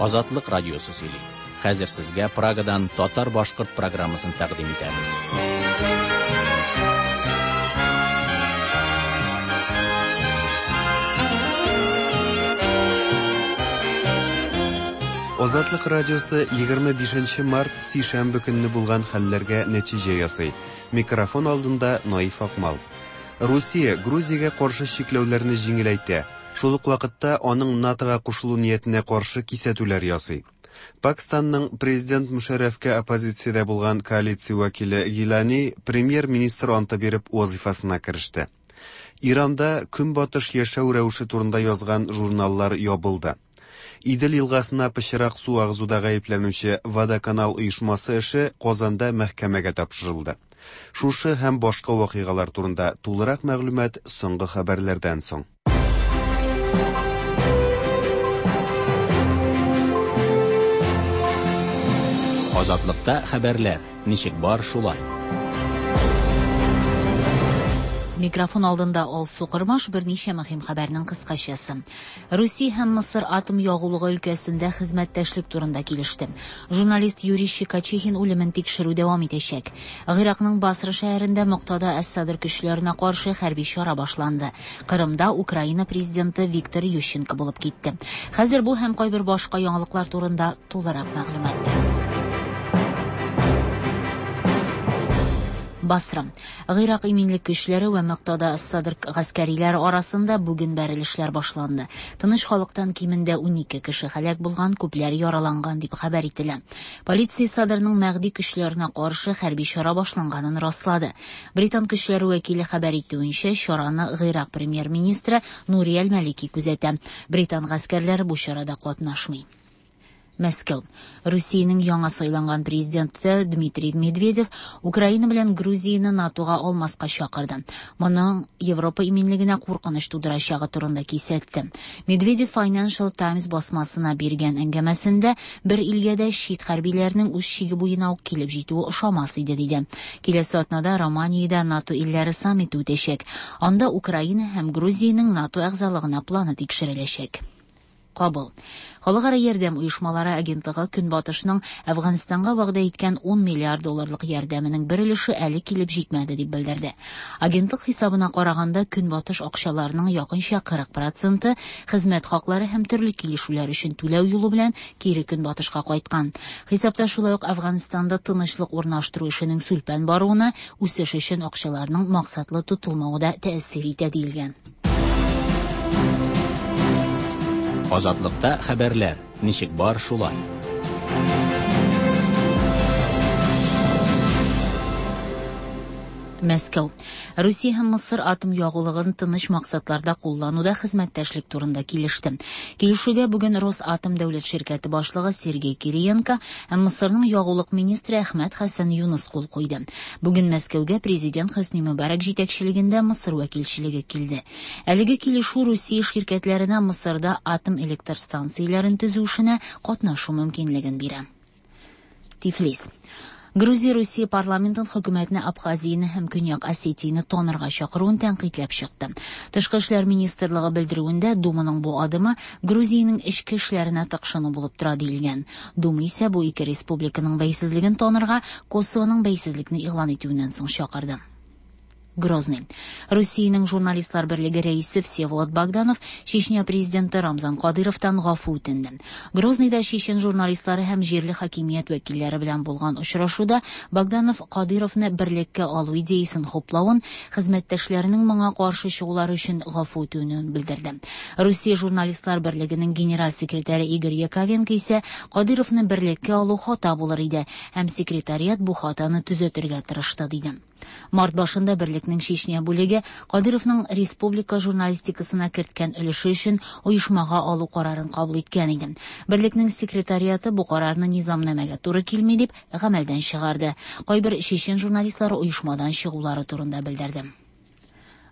Азатлык радиосы сөйли. Хәзер сезгә Прагадан татар-башкорт программасын тәкъдим итәбез. Азатлык радиосы 25 март сишәмбе көнне булган хәлләргә нәтиҗә ясый. Микрофон алдында Наиф Акмал. Русия Грузиягә каршы чикләүләрне җиңеләйтә. Шул ук вакытта аның НАТОга кушылу ниятенә каршы кисәтүләр ясый. Пакстанның президент Мушәррәфкә оппозициядә булган коалиция вәкиле Гилани премьер-министр анты биреп вазифасына кереште. Иранда көнбатыш яшәү рәвеше турында язган журналлар ябылды. Идел елгасына пычрак су агызуда гаепләнүче Водоканал оешмасы эше Казанда мәхкәмәгә тапшырылды. Шушы һәм башка вакыйгалар турында тулырак мәгълүмат соңгы хәбәрләрдән соң. Азатлыкта хәбәрләр ничек бар шулай. Микрофон алдында Алсу Кормаш берничә мөһим хәбәрнең кыскачасы. Русия һәм Мысыр атом ягулыгы өлкәсендә хезмәттәшлек турында килеште. Журналист Юрий Щекочихин үлемен тикшерү дәвам итәчәк. Гыйракның Басра шәһәрендә Моктада әс-Садр көчләренә каршы хәрби чара башланды. Кырымда Украина президенты Виктор Ющенко булып китте. Хәзер бу һәм кайбер башка яңалыклар турында тулырак мәгълүмат. Басра. Гыйрак иминлек көчләре вә Моктада әс-Садр гаскәриләре арасында бүген бәрелешләр башланды. Тыныч халыктан кимендә 12 кеше һәлак булган, күпләр яраланган дип хәбәр ителә. Полиция Садрның Мәһди көчләренә каршы хәрби чара башланганын раслады. Британ көчләре вәкиле хәбәр итүенчә, чараны Гыйрак премьер-министры Нури әл-Малики күзәтә. Британ гаскәрләре бу чарада катнашмый. Мәскәү. Русиянең яңа сайланган президенты Дмитрий Медведев Украина белән Грузияне НАТОга алмаска чакырды. Моның Европа иминлегенә куркыныч тудырачагы турында кисәтте. Медведев Financial Times басмасына биргән әңгәмәсендә бер илгә дә чит хәрбиләрнең үз чиге буена ук килеп җитүе ошамас иде, диде. Киләсе атнада Романиядә НАТО илләре саммиты үтәчәк. Анда Украина һәм Грузиянең НАТО әгъзалыгына планы тикшереләчәк. Кабул. Халыкара ярдәм оешмалары агентлыгы Көнбатышның Әфганстанга вәгъдә иткән 10 миллиард долларлык ярдәменең бер өлеше әле килеп җитмәде дип белдерде. Агентлык хисабына караганда Көнбатыш акчаларының якынча 40% хезмәт хаклары һәм төрле килешүләр өчен түләү юлы белән кире Көнбатышка кайткан. Хисапта шулай ук Әфганстанда тынычлык урнаштыру эшенең сүлпән баруына, үсеш өчен акчаларның максатлы тотылмавы да тәэсир итә диелгән. Азатлыкта хәбәрләр ничек бар шулай. Мәскәү. Русия һәм Мысыр атом ягулыгын тыныч максатларда куллануда хезмәттәшлек турында килеште. Килешүгә бүген Росатом дәүләт ширкәте башлыгы Сергей Кириенко һәм Мысырның ягулык министры Әхмәт Хәсән Юныс кул куйды. Бүген Мәскәүгә президент Хөсни Мөбарәк җитәкчелегендә Мысыр вәкилчелеге килде. Әлеге килешү Русия ширкәтләренә Мысырда атом электр станцияләрен төзү эшенә катнашу мөмкинлеген бирә. Тифлис. Грузия Русия парламентын хөкүмәтне Абхазияне һәм Көньяк Осетияне танырга чакыруын тәнкыйтьләп чыкты. Тышкы эшләр министрлыгы белдерүендә Думаның бу адымы Грузиянең эчке эшләренә тыкшыну булып тора диелгән. Дума исә бу ике республиканың бәйсезлеген танырга Косовоның бәйсезлекне игълан итүеннән соң чакырды. Грозный. Русиянең журналистлар берлеге рәисе Всеволод Богданов Чечня президенты Рамзан Кадыровтан гафу үтенде. Грозныйда чечен журналистлары һәм җирле хакимият вәкилләре белән булган очрашуда Богданов Кадыровны берлеккә алу идеясын хуплавын, хезмәттәшләренең моңа каршы чыгулары өчен гафу үтүен белдерде. Русия журналистлар берлегенең генераль секретаре Игорь Яковенко исә Кадыровны берлеккә алу хата булыр иде һәм секретариат бу хатаны төзәтергә тырышты, диде. Март башында берлекнең Чечня бүлеге Кадыровның республика журналистикасына керткән өлеше өчен оешмага алу карарын кабул иткән иде. Берлекнең секретариаты бу карарны низамнамәгә туры килми дип гамәлдән чыгарды. Кайбер чечен журналистлары оешмадан чыгулары турында белдерде.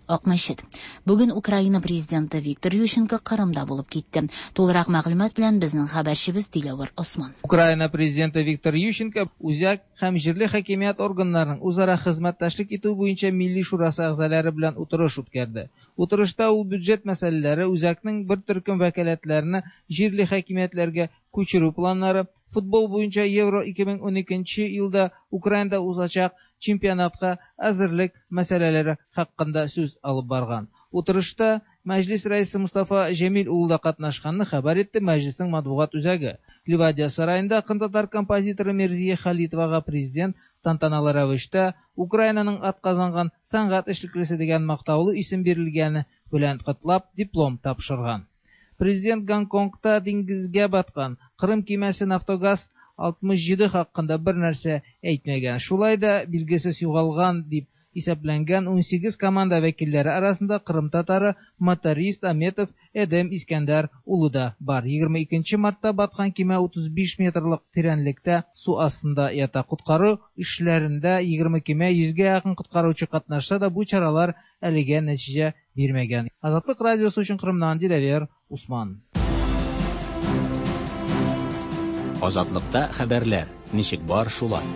Акмәчет. Бүген Украина президенты Виктор Ющенко Кырымда булып китте. Тулырак мәгълүмат белән безнең хәбәрчебез Диләвер Осман. Украина президенты Виктор Ющенко үзәк һәм җирле хакимият органнарының үзара хезмәттәшлек итү буенча Милли шурасы әгъзалары белән утырыш үткәрде. Утырышта ул бюджет мәсьәләләре, үзәкнең бер төркем вәкаләтләрне җирле хакимиятләргә күчерү планнары, футбол буенча Евро 2012 елда Украинада узачак чемпионатка әзерлек мәсьәләләре хакында сүз алып барган. Утырышта Мәҗлис рәисе Мустафа Җәмил улы да катнашканны хәбәр итте Мәҗлиснең матбугат үзәге. Ливадия сараенда кырымтатар композиторы Мирзия Халитовага президент тантаналы рәвештә Украинаның атказанган сәнгать эшлеклесе дигән мактаулы исем бирелгәне белән котлап диплом тапшырган. Президент Гонконгта диңгезгә баткан Кырым кимәсе Нафтогаз 67 хакында бер нәрсә әйтмәгән. Шулай да билгесез югалган дип исәпләнгән 18 команда вәкилләре арасында Кырым татары моторист Аметов Эдем Искәндәр улы да бар. 22 мартта баткан кимә 35 метрлык тирәнлектә су астында ята. Коткару эшләрендә 20 кимә 100гә якын коткаручы катнашса да, бу чаралар әлегә нәтиҗә бирмәгән. Азатлык радиосы өчен Кырымнан Диләвер Усман. Азатлыкта хәбәрләр ничек бар шулай.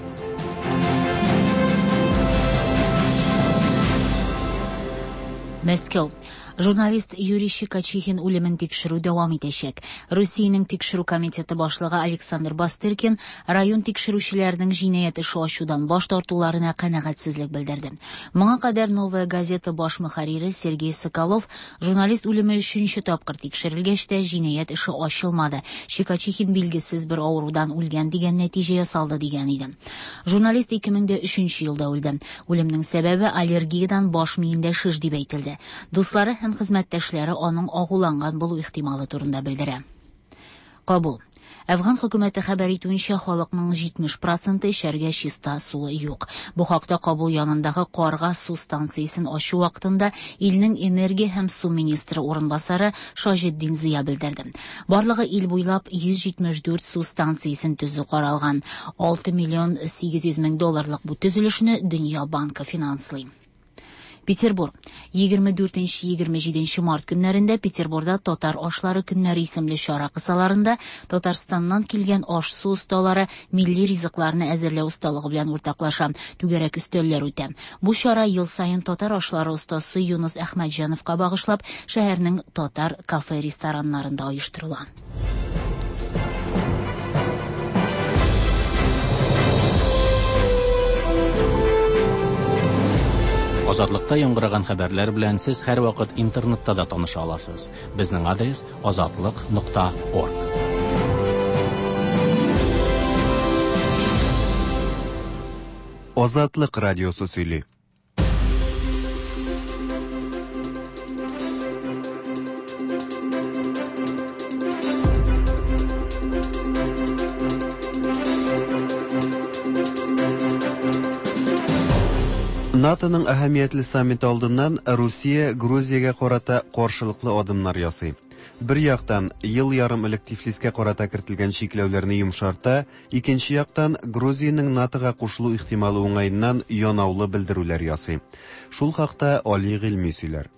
Мәскәү. Журналист Юрий Щекочихин үлемен тикшерү дәвам итәчәк. Русиянең тикшерү комитеты башлыгы Александр Бастыркин район тикшерүчеләренең җинаять эше ачудан баш тартуларына канәгатьсезлек белдерде. Моңа кадәр Новая газета баш мөхәррире Сергей Соколов журналист үлеме өченче тапкыр тикшерелгәч тә җинаять эше ачылмады. Щекочихин билгесез бер авырудан үлгән дигән нәтиҗә ясалды дигән иде. Журналист 2003 елда үлде. Үлемнең сәбәбе аллергиядан баш миендә шеш дип әйтелде. Дуслары һәм хезмәттәшләре аның агуланган булу ихтималы турында белдерә. Кабул. Әфган хөкүмәте хәбәр итүенчә, халыкның 70% эчәргә чиста суы юк. Бу хакта Кабул янындагы Карга су станциясен ачу вакытында илнең энергия һәм су министры урынбасары Шаҗетдин Зыя белдерде. Барлыгы ил буйлап 174 су станциясен төзү каралган. 6 миллион 800 мең долларлык бу төзелешне Дөнья банкы финанслый. Петербург. 24-27 март көннәрендә Петербурда Татар ашлары көннәре исемле чара кысаларында Татарстаннан килгән аш-су осталары милли ризыкларны әзерләү осталыгы белән уртаклаша, түгәрәк өстәлләр үтә. Бу чара ел саен татар ашлары остасы Юнус Әхмәтҗановка багышлап шәһәрнең татар кафе-рестораннарында оештырыла. Азатлыкта яңгыраган хәбәрләр белән сез һәрвакыт интернетта да таныша аласыз. Безнең адрес azatliq.org. Азатлык радиосы сөйли. НАТОның әһәмиятле саммиты алдыннан Русия Грузиягә карата каршылыклы адымнар ясый. Бер яктан, ел ярым элек Тифлискә карата кертелгән чикләүләрне йомшарта, икенче яктан, Грузиянең НАТОга кушылу ихтималы уңаеннан янаулы белдерүләр ясый. Шул хакта Али Гыйльми сөйләр.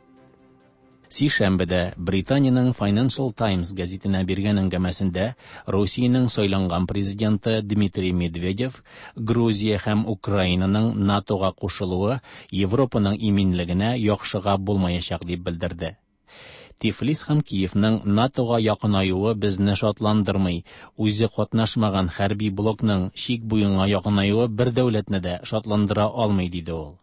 Сишәмбедә Британиянең Financial Times гәзитенә биргән әңгәмәсендә Русиянең сайланган президенты Дмитрий Медведев Грузия һәм Украинаның НАТОга кушылуы Европаның иминлегенә яхшыга булмаячак дип белдерде. Тифлис һәм Киевның НАТОга якынаюы безне шатландырмый. Үзе катнашмаган хәрби блокның чик буена якынаюы бер дәүләтне дә шатландыра алмый, диде ул.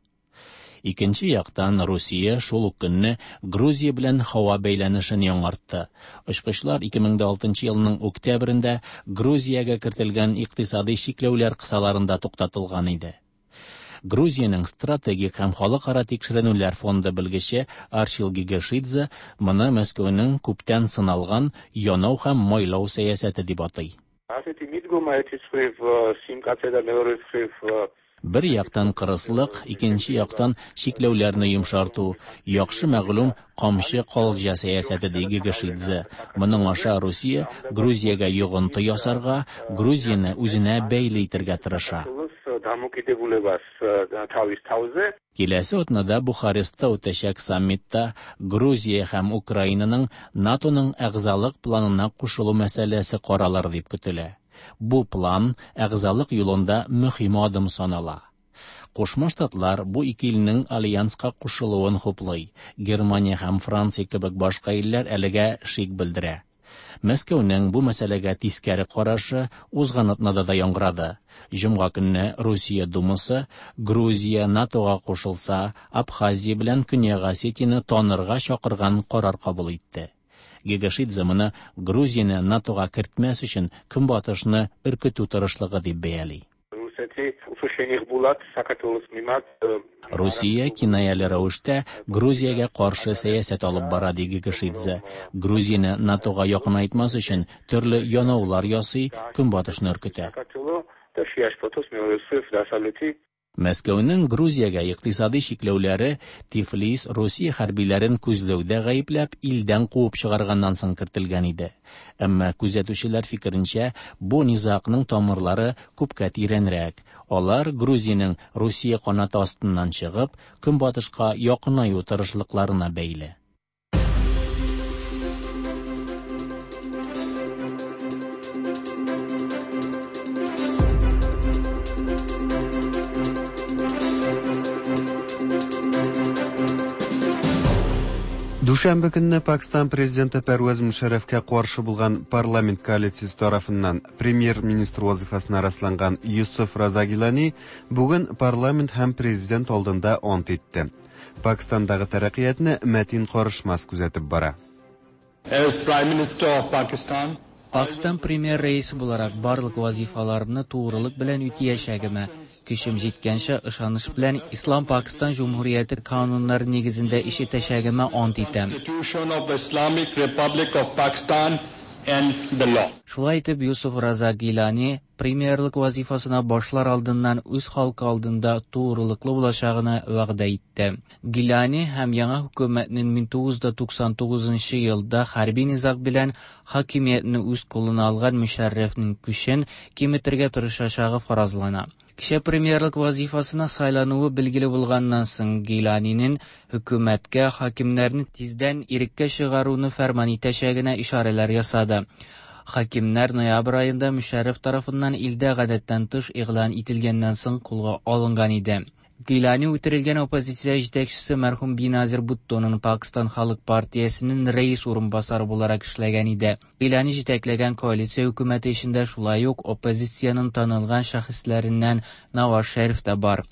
Икенче яктан Русия шул ук көнне Грузия белән һава бәйләнешен яңартты. Очкычлар 2006 елның октябрендә Грузиягә кертелгән икътисади чикләүләр кысаларында туктатылган иде. Грузиянең стратегик һәм халыкара тикшеренүләр фонды белгече Арчил Гегешидзе моны Мәскәүнең күптән сыналган янау һәм майлау сәясәте дип атый. Ასეთი მიდგომა ერთის მხრივ სიმკაცე და მეორე მხრივ Бер яктан кырыслык, икенче яктан чикләүләрне йомшарту, яхшы мәгълүм камчы калҗа сәясәте ди Гегешидзе. Моның аша Русия Грузиягә йогынты ясарга, Грузияне үзенә бәйле итәргә тырыша. დამოკიდებულებას თავის თავზე. Киләсе атнада Бухарестта үтәчәк саммитта Грузия һәм Украинаның НАТОның әгъзалык планына кушылу мәсьәләсе каралыр дип көтелә. Бу план әгъзалык юлында мөһим адым санала. Кушма Штатлар бу ике илнең альянска кушылуын хуплый. Германия һәм Франция кебек башка илләр әлегә шик белдерә. Мәскәүнең бу мәсьәләгә тискәре карашы узган атнада да яңгырады. Җомга көнне Русия Думасы Грузия НАТОга кушылса, Абхазия белән Көньяк Осетияне танырга чакырган карар кабул итте. Гегашидзе моны Грузияне НАТОга кертмәс өчен Көнбатышны өркетү тырышлыгы дип бәяли. რუსეთი უფრო შენიღბულად საქართველოს მიმართ Русия кинаяле рәвештә Грузиягә каршы сәясәт алып бара, ди Гегашидзе. Грузияне НАТОга якынайтмас өчен төрле янаулар ясый, Көнбатышны өркетә. საქართველო და შეაშფოთოს მეორე მხრივ დასავლეთი Мәскәүнең Грузиягә икътисади чикләүләре Тифлис Русия хәрбиләрен күзләүдә гаепләп илдән куып чыгарганнан соң кертелгән иде. Әмма күзәтүчеләр фикеренчә, бу низагның тамырлары күпкә тирәнрәк. Алар Грузиянең Русия канаты астыннан чыгып, Көнбатышка якынаю тырышлыкларына бәйле. Дүшәмбе көнне Пакистан президенты Пәрвәз Мөшәррәфкә каршы булган парламент коалициясе тарафыннан премьер-министр вазифасына расланган Юсуф Раза Гилани бүген парламент һәм президент алдында ант итте. Пакистандагы тәрәккыятны Мәтин Карышмас күзәтеп бара. As Prime Minister of Pakistan, Пакистан премьер рәисе буларак барлык вазифаларымны тугрылык белән үтәячәгемә, көчем җиткәнчә ышаныч белән Ислам Пакистан Җөмһүрияте кануннары нигезендә эш итәчәгемә ант итәм. Constitution of the Islamic Republic of Pakistan and the law. Шулай итеп, Юсуф Раза Гилани премьерлык вазифасына башлар алдыннан үз халкы алдында тугрылыклы булачагына вәгъдә итте. Гилани һәм яңа хөкүмәтнең 1999 елда хәрби низаг белән хакимиятне үз кулына алган Мөшәррәфнең көчен киметергә тырышачагы фаразлана. Кичә премьерлык вазифасына сайлануы билгеле булганнан соң Гиланинең хөкүмәткә хакимнәрне тиздән иреккә чыгаруны фәрман итәчәгенә ишарәләр ясады. Хакимнәр ноябрь аенда Мөшәррәф тарафыннан илдә гадәттән тыш игълан ителгәннән соң кулга алынган иде. Гилани үтерелгән оппозиция җитәкчесе мәрхүм Биназир Буттоның Пакистан Халык партиясенең рәис урынбасары буларак эшләгән иде. Гилани җитәкләгән коалиция хөкүмәте эчендә шулай ук оппозициянең танылган шәхесләреннән Наваз Шәриф тә бар.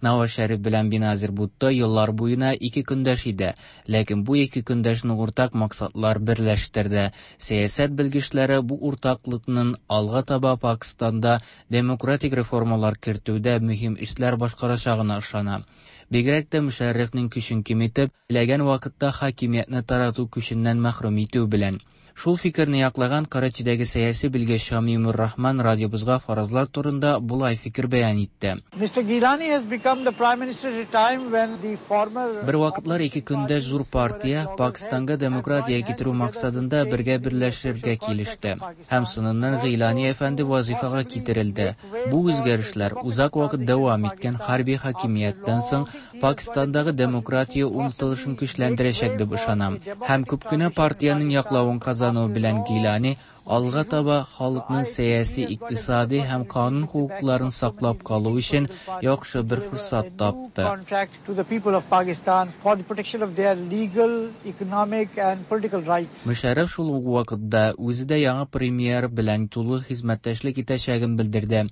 Наваз Шәриф белән Биназир Бутто еллар буена ике көндәш иде, ләкин бу ике көндәшне уртак максатлар берләштерде. Сәясәт белгечләре бу уртаклыкның алга таба Пакистанда демократик реформалар кертүдә мөһим эшләр башкарачагына ышана. Бигрәк тә Мөшәррәфнең көчен киметеп, теләгән вакытта хакимиятне тарату көченнән мәхрүм итү белән. Шул фикерне яклаган Карачидәге сәяси белгеч Шамимур Рахман радиобызга фаразлар турында болай фикер бәян итте. Mr. Gilani has become the prime minister at a time when the former Бер вакытлар ике көндәш зур партия Пакистанга демократия китерү максатында бергә берләшергә килеште. Һәм соңыннан Гыйлани әфәнде вазифага китерелде. Бу үзгәрешләр узак вакыт дәвам иткән хәрби хакимияттән соң Пакистандагы демократия омтылышын көчләндерәчәк дип ышанам. Һәм күп кенә партиянең яклавын казану белән Гилани алга таба халыкның сәяси, икътисади һәм канун хокукларын саклап калу өчен яхшы бер форсат тапты. contract to the people of Pakistan for the protection of their legal, economic and political rights. Мөшәррәф шул ук вакытта үзе дә яңа премьер белән тулы хезмәттәшлек итәчәген белдерде.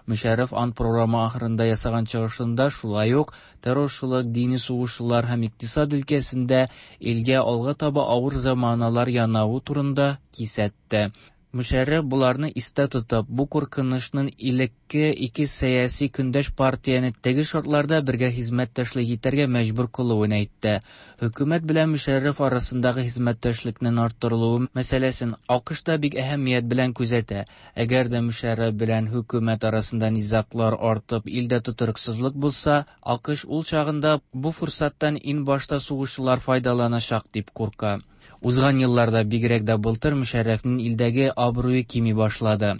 Мөшәррәф ант программа ахырында ясаган чыгышында шулай ук террорчылык, дини сугышлар һәм икътисад өлкәсендә илгә алга таба авыр заманалар янавы турында кисәтте. Мөшәррәф буларны истә тотып, бу куркынычның элекке ике сәяси көндәш партияне теге шартларда бергә хезмәттәшлек итәргә мәҗбүр кылуын әйтте. Хөкүмәт белән Мөшәррәф арасындагы хезмәттәшлекнең арттырылуы мәсьәләсен АКШ та бик әһәмият белән күзәтә. Әгәр дә Мөшәррәф белән хөкүмәт арасында низаглар артып, илдә тотрыксызлык булса, АКШ ул чагында бу форсаттан иң башта сугышчылар файдаланачак дип курка. Узган елларда бигрәк дә былтыр Мөшәррәфнең илдәге абруе кими башлады.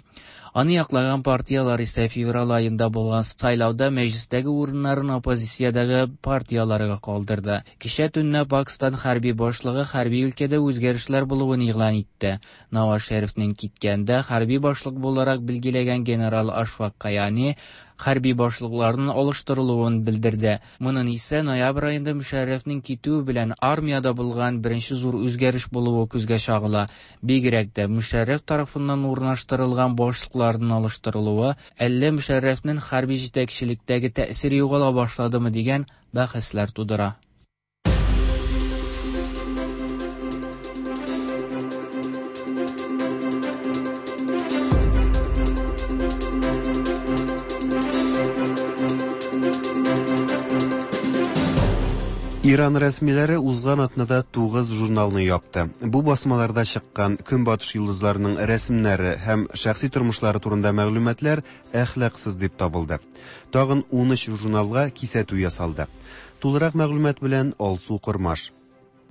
Аны яклаган партияләр исә февраль аенда булган сайлауда мәҗлестәге урыннарын оппозициядәге партияләргә калдырды. Кичә төнлә Пакстан хәрби башлыгы хәрби өлкәдә үзгәрешләр булуын игълан итте. Наваз Шәрифнең киткәндә хәрби башлык буларак билгеләгән генерал Ашфак Каяни хәрби башлыкларның алыштырылуын белдерде. Моның исә ноябрь аенда Мөшәррәфнең китүе белән армиядә булган беренче зур үзгәреш булуы күзгә чагыла. Бигрәк тә Мөшәррәф тарафыннан урнаштырылган башлыкларның алыштырылуы әллә Мөшәррәфнең хәрби җитәкчелектәге тәэсире югала башладымы дигән бәхәсләр тудыра. Иран рәсмиләре узган атнада 9 журналны япты. Бу басмаларда чыккан Көнбатыш йолдызларының рәсемнәре һәм шәхси тормышлары турында мәгълүматлар әхлаксыз дип табылды. Тагын 13 журналга кисәтү ясалды. Тулырак мәгълүмат белән Алсу Кормаш.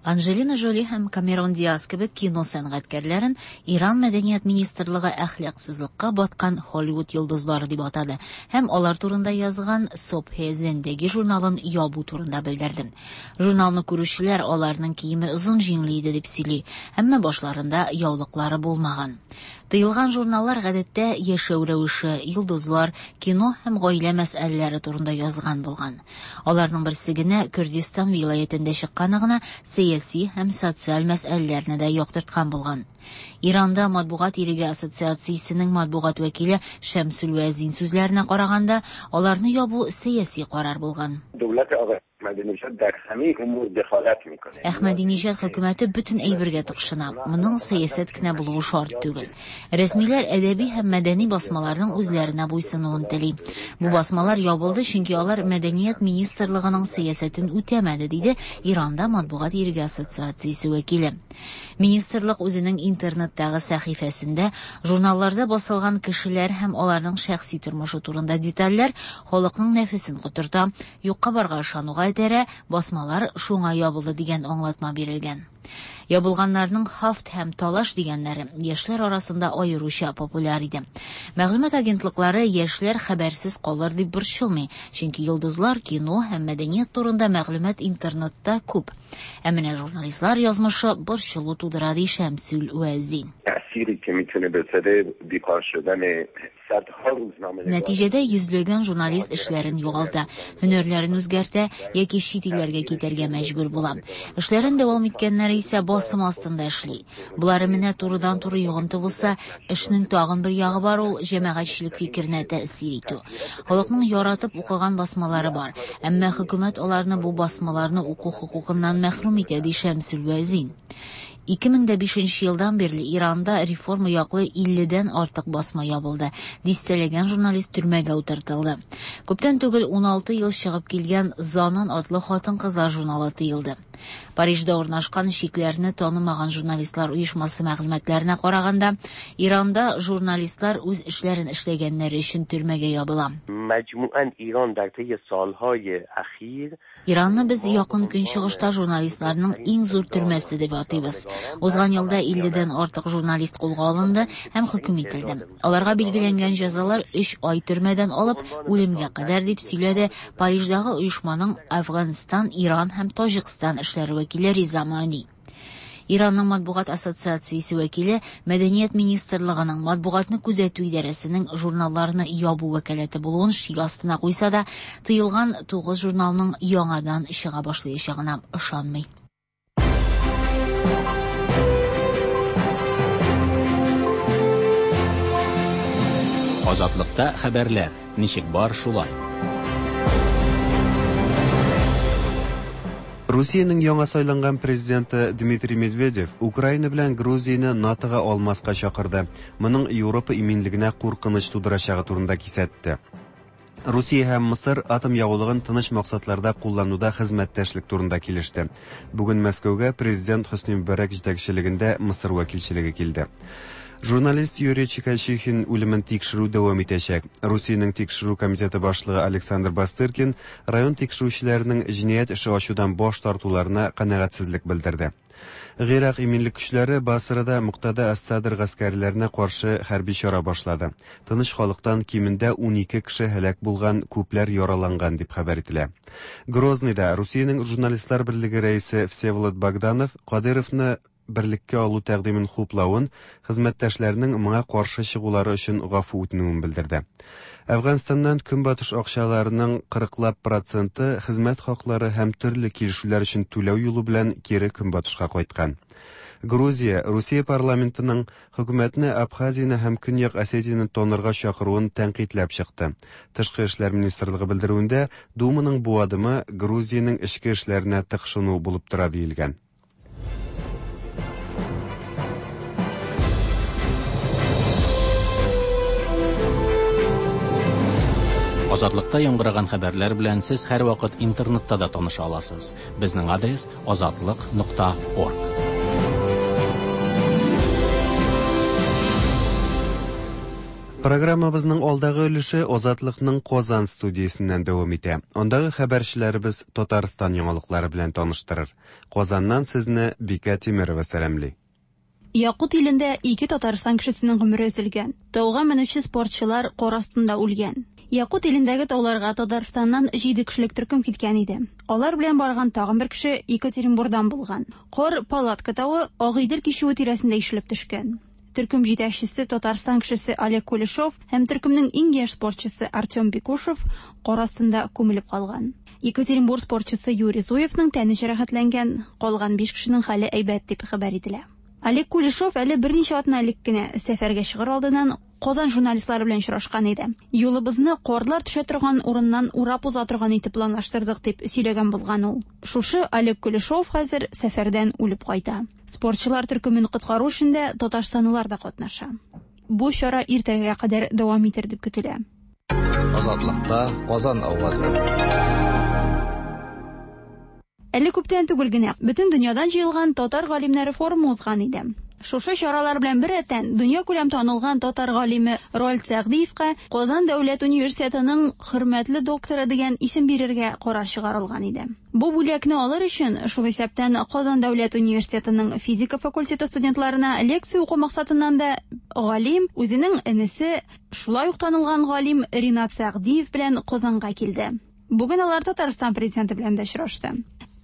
Анджелина Жоли һәм Камерон Диас кебек кино сәнгатькәрләрен Иран мәдәният министрлыгы әхлаксызлыкка баткан Холливуд йолдызлары дип атады һәм алар турында язган Собхе Зендеги журналын ябу турында белдерде. Журналны күрүчеләр аларның киеме озын җиңле иде дип сөйли, әмма башларында яулыклары булмаган. Тыелган журналлар гадәттә яшәү рәвеше, йолдызлар, кино һәм гаилә мәсьәләләре турында язган булган. Аларның берсе генә Күрдистан вилаятендә чыкканы гына сәяси һәм социаль мәсьәләләрне дә яктырткан булган. Иранда матбугат иреге ассоциациясенең матбугат вәкиле Шәмсул Вәзин сүзләренә караганда, аларны ябу сәяси карар булган. Әхмәдинежад хөкүмәте бөтен әйбергә тыкшына. Моның сәясәт кенә булуы шарт түгел. Рәсмиләр әдәби һәм мәдәни басмаларның үзләренә буйсынуын тели. Бу басмалар ябылды, чөнки алар мәдәният министрлыгының сәясәтен үтәмәде, диде Иранда матбугат иреге ассоциациясе вәкиле. Министрлык үзенең интернеттагы сәхифәсендә журналларда басылган кешеләр һәм аларның шәхси тормышы турында детальләр халыкның нәфесен котырта, юкка барга ышануга этәрә, басмалар шуңа ябылды дигән аңлатма бирелгән. Ябылганнарның Хафт һәм Талаш дигәннәре яшьләр арасында аеруча популяр иде. Мәгълүмат агентлыклары яшьләр хәбәрсез калыр дип борчылмый, чөнки йолдызлар, кино һәм мәдәният турында мәгълүмат интернетта күп. Ә менә журналистлар язмышы борчылу тудыра, ди Шәмсул Вәзин. Нәтиҗәдә йөзләгән журналист эшләрен югалта, һөнәрләрен үзгәртә яки чит илләргә китәргә мәҗбүр була. Эшләрен дәвам иткәннәре исә басым астында эшли. Болары менә турыдан-туры йогынты булса, эшнең тагын бер ягы бар, ул җәмәгатьчелек фикеренә тәэсир итү. Халыкның яратып укыган басмалары бар, әмма хөкүмәт аларны бу басмаларны уку хокукыннан мәхрүм итә, ди Шәмсул Вәзин. 2005 елдан бирле Иранда реформа яклы 50-дән артык басма ябылды. Дистәләгән журналист төрмәгә утыртылды. Күптән түгел 16 ел чыгып килгән Занан атлы хатын-кызлар журналы тыелды. Парижда урнашкан чикләрне танымаган журналистлар оешмасы мәгълүматларына караганда, Иранда журналистлар үз эшләрен эшләгәннәре өчен төрмәгә ябыла. Иранны без Якын Көнчыгышта журналистларның иң зур төрмәсе дип атыйбыз. Узган елда 50-дән артык журналист кулга алынды һәм хөкем ителде. Аларга билгеләнгән җәзалар 3 ай төрмәдән алып үлемгә кадәр, дип сөйләде Париждагы оешманың Әфганстан, Иран һәм Таҗикстан эшләре вәкиле Риза Мани. Иранның матбугат ассоциациясе вәкиле Мәдәният министрлыгының матбугатны күзәтү идарәсенең журналларны ябу вәкаләте булуын шик астына куйса да, тыелган 9 журналның яңадан чыга башлаячагына ышанмый. Азатлыкта хәбәрләр ничек бар шулай. Русиянең яңа сайланган президенты Дмитрий Медведев Украина белән Грузияне НАТОга алмаска чакырды. Моның Европа иминлегенә куркыныч тудырачагы турында кисәтте. Русия һәм Мысыр атом ягулыгын тыныч максатларда куллануда хезмәттәшлек турында килеште. Бүген Мәскәүгә президент Хөсни Мөбарәк җитәкчелегендә Мысыр вәкилчелеге килде. Журналист Юрий Чикачихин үлемен тикшерү дәвам итәчәк. Русиянең тикшерү комитеты башлыгы Александр Бастыркин район тикшерүчеләренең җинаять эше ачудан баш тартуларына канәгатьсезлек белдерде. Гыйрак иминлек көчләре Басрада Муктада әс-Садр гаскәрләренә каршы хәрби чара башлады. Тыныч халыктан кимендә 12 кеше һәлак булган, күпләр яраланган дип хәбәр ителә. Грозныйда Русиянең журналистлар берлеге рәисе Всеволод Богданов Кадыровны берлеккә алу тәкъдимен хуплавын, хезмәттәшләренең моңа каршы чыгулары өчен гафу үтенүен белдерде. Әфганстаннан көнбатыш акчаларының кырыклап проценты хезмәт хаклары һәм төрле килешүләр өчен түләү юлы белән кире көнбатышка кайткан. Грузия Русия парламентының хөкүмәтне Абхазияне һәм Көньяк Осетияне танырга чакыруын тәнкыйтьләп чыкты. Тышкы эшләр министрлыгы белдерүендә Думаның бу адымы Грузиянең эчке эшләренә тыкшыну булып тора диелгән. Азатлыкта яңгыраган хәбәрләр белән сез һәрвакыт интернетта да таныша аласыз. Безнең адрес азатлык.орг. Программабызның алдагы өлеше Азатлыкның Казан студиясеннән дәвам итә. Андагы хәбәрчеләребез Татарстан яңалыклары белән таныштырыр. Казаннан сезне Бикә Тимерова сәламли. Якут илендә ике Татарстан кешесенең гомере өзелгән. Тауга менүче спортчылар кар астында үлгән. Якут илендәге тауларга Татарстаннан 7 кешелек төркем киткән иде. Алар белән барган тагын бер кеше Екатеринбурдан булган. Кар Палатка тавы Агыйдел кичүе тирәсендә ишелеп төшкән. Төркем җитәкчесе Татарстан кешесе Олег Кулешов һәм төркемнең иң яшь спортчысы Артем Бекушев кар астында күмелеп калган. Екатеринбург спортчысы Юрий Зуевның тәне җәрәхәтләнгән, калган 5 кешенең хәле әйбәт дип хәбәр ителә. Олег Кулешов әле берничә атна элек кенә сәфәргә чыгыр алдыннан Казан журналистлары белән очрашкан иде. Юлыбызны карлар төшә торган урыннан урап уза торган итеп планлаштырдык дип сөйләгән булган ул. Шушы Олег Кулешов хәзер сәфәрдән үлеп кайта. Спортчылар төркемен коткару эшендә татарстанлылар да катнаша. Бу чара иртәгә кадәр дәвам итер дип көтелә. Азатлыкта Казан авазы. Әле күптән түгел генә бөтен дөньядан җыелган татар галимнәре форумы узган иде. Шушы чаралар белән беррәттән дөньякүләм танылган татар галиме Роальд Сәгъдиевка Казан дәүләт университетының хөрмәтле докторы дигән исем бирергә карар чыгарылган иде. Бу бүләкне алыр өчен, шул исәптән Казан дәүләт университетының физика факультеты студентларына лекция уку максатыннан да галим үзенең энесе, шулай ук танылган галим Ринат Сәгъдиев белән Казанга килде. Бүген алар Татарстан президенты белән дә очрашты.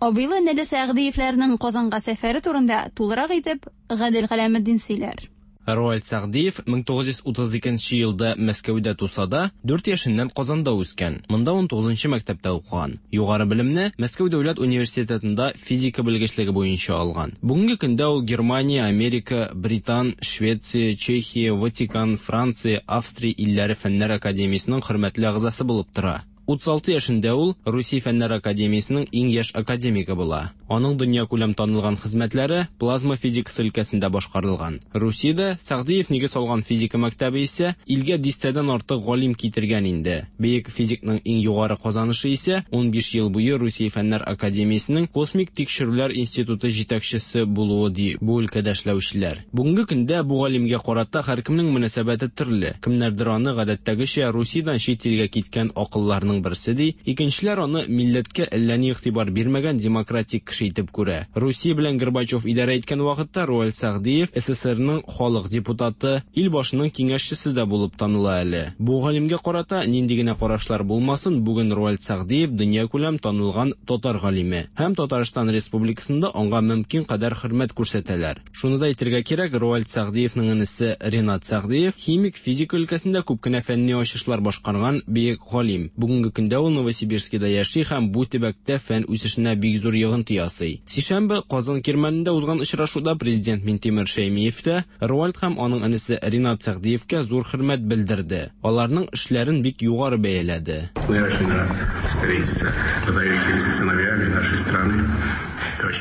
Абыйлы энеле Сәгъдиевләрнең Казанга сәфәре турында тулырак итеп Гадел Галәметдин сөйләр. Роальд Сәгъдиев 1932 елда Мәскәүдә туса да, 4 яшеннән Казанда үскән. Монда 19 мәктәптә укыган. Югары белемне Мәскәү дәүләт университетында физика белгечлеге буенча алган. Бүгенге көндә ул Германия, Америка, Британ, Швеция, Чехия, Ватикан, Франция, Австрия илләре фәннәр академиясенең хөрмәтле әгъзасы булып тора. 36 яшендә ул Русия фәннәр академиясенең иң яшь академигы була. Аның дөньякүләм танылган хезмәтләре плазма физикасы өлкәсендә башкарылган. Русиядә Сәгъдиев нигез салган физика мәктәбе исә илгә дистәдән артык галим китергән инде. Бөек физикның иң югары казанышы исә 15 ел буе Русия фәннәр академиясенең космик тикшерүләр институты җитәкчесе булуы ди бу өлкәдә эшләүчеләр. Бүгенге көндә бу галимгә карата һәркемнең мөнәсәбәте төрле. Кемнәрдер аны гадәттәгечә Русиядән чит илгә киткән акылларның берсе ди, икенчеләр аны милләткә әллә ни игътибар бирмәгән демократик кеше итеп күрә. Русия белән Горбачев идарә иткән вакытта Роальд Сәгъдиев СССРның халык депутаты, ил башының киңәшчесе дә булып таныла әле. Бу галимгә карата нинди генә карашлар булмасын, бүген Роальд Сәгъдиев дөньякүләм танылган татар галиме һәм Татарстан Республикасында аңа мөмкин кадәр хөрмәт күрсәтәләр. Шуны да әйтергә кирәк, Роальд Сәгъдиевның энесе Ринат Сәгъдиев химик физика өлкәсендә күп кенә фәнни ачышлар башкарган бөек галим. Бүгенге көндә ул Новосибирскида яши һәм бу төбәктә фән үсешенә бик зур йогынты ясый. Сишәмбе Казан Кирмәнендә узган очрашуда президент Минтимер Шәймиев тә Роальд һәм аның энесе Ринат Сәгъдиевкә зур хөрмәт белдерде. Аларның эшләрен бик югары бәяләде. Я очень рад встретиться с выдающимися сыновьями нашей страны.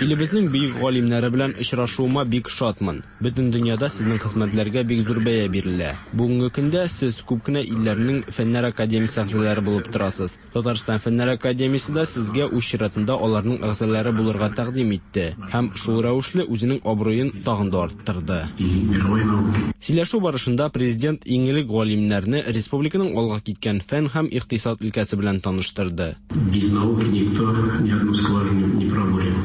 Илебезнең бөек галимнәре белән очрашуыма бик шатмын. Бөтен дөньяда сезнең хезмәтләргә бик зур бәя бирелә. Бүгенге көндә сез күп кенә илләрнең фәннәр академиясе әгъзалары булып торасыз. Татарстан фәннәр академиясе дә сезгә үз чиратында аларның әгъзалары булырга тәкъдим итте һәм шул рәвешле үзенең абруен тагын да арттырды. Сөйләшү барышында президент иң элек галимнәрне республиканың алга киткән фән һәм икътисад өлкәсе белән таныштырды. Без науки никто ни одну скважину не пробурил.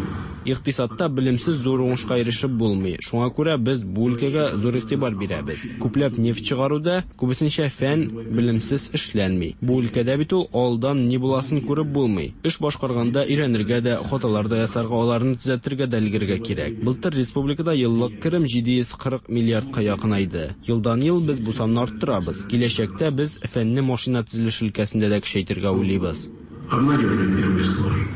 Икътисадта белемсез зур уңышка ирешеп булмый. Шуңа күрә без бу өлкәгә зур игътибар бирәбез. Күпләп нефть чыгару да, күбесенчә фән, белемсез эшләнми. Бу өлкәдә бит ул алдан ни буласын күреп булмый. Эш башкарганда өйрәнергә дә, хаталар да ясарга, аларны төзәтергә дә өлгерергә кирәк. Былтыр республикада еллык керем 740 миллиардка якынайды. Елдан-ел без бу санны арттырабыз. Киләчәктә без фәнне машина төзелеше өлкәсендә дә көчәйтергә уйлыйбыз. Обнадеживает первый скважины.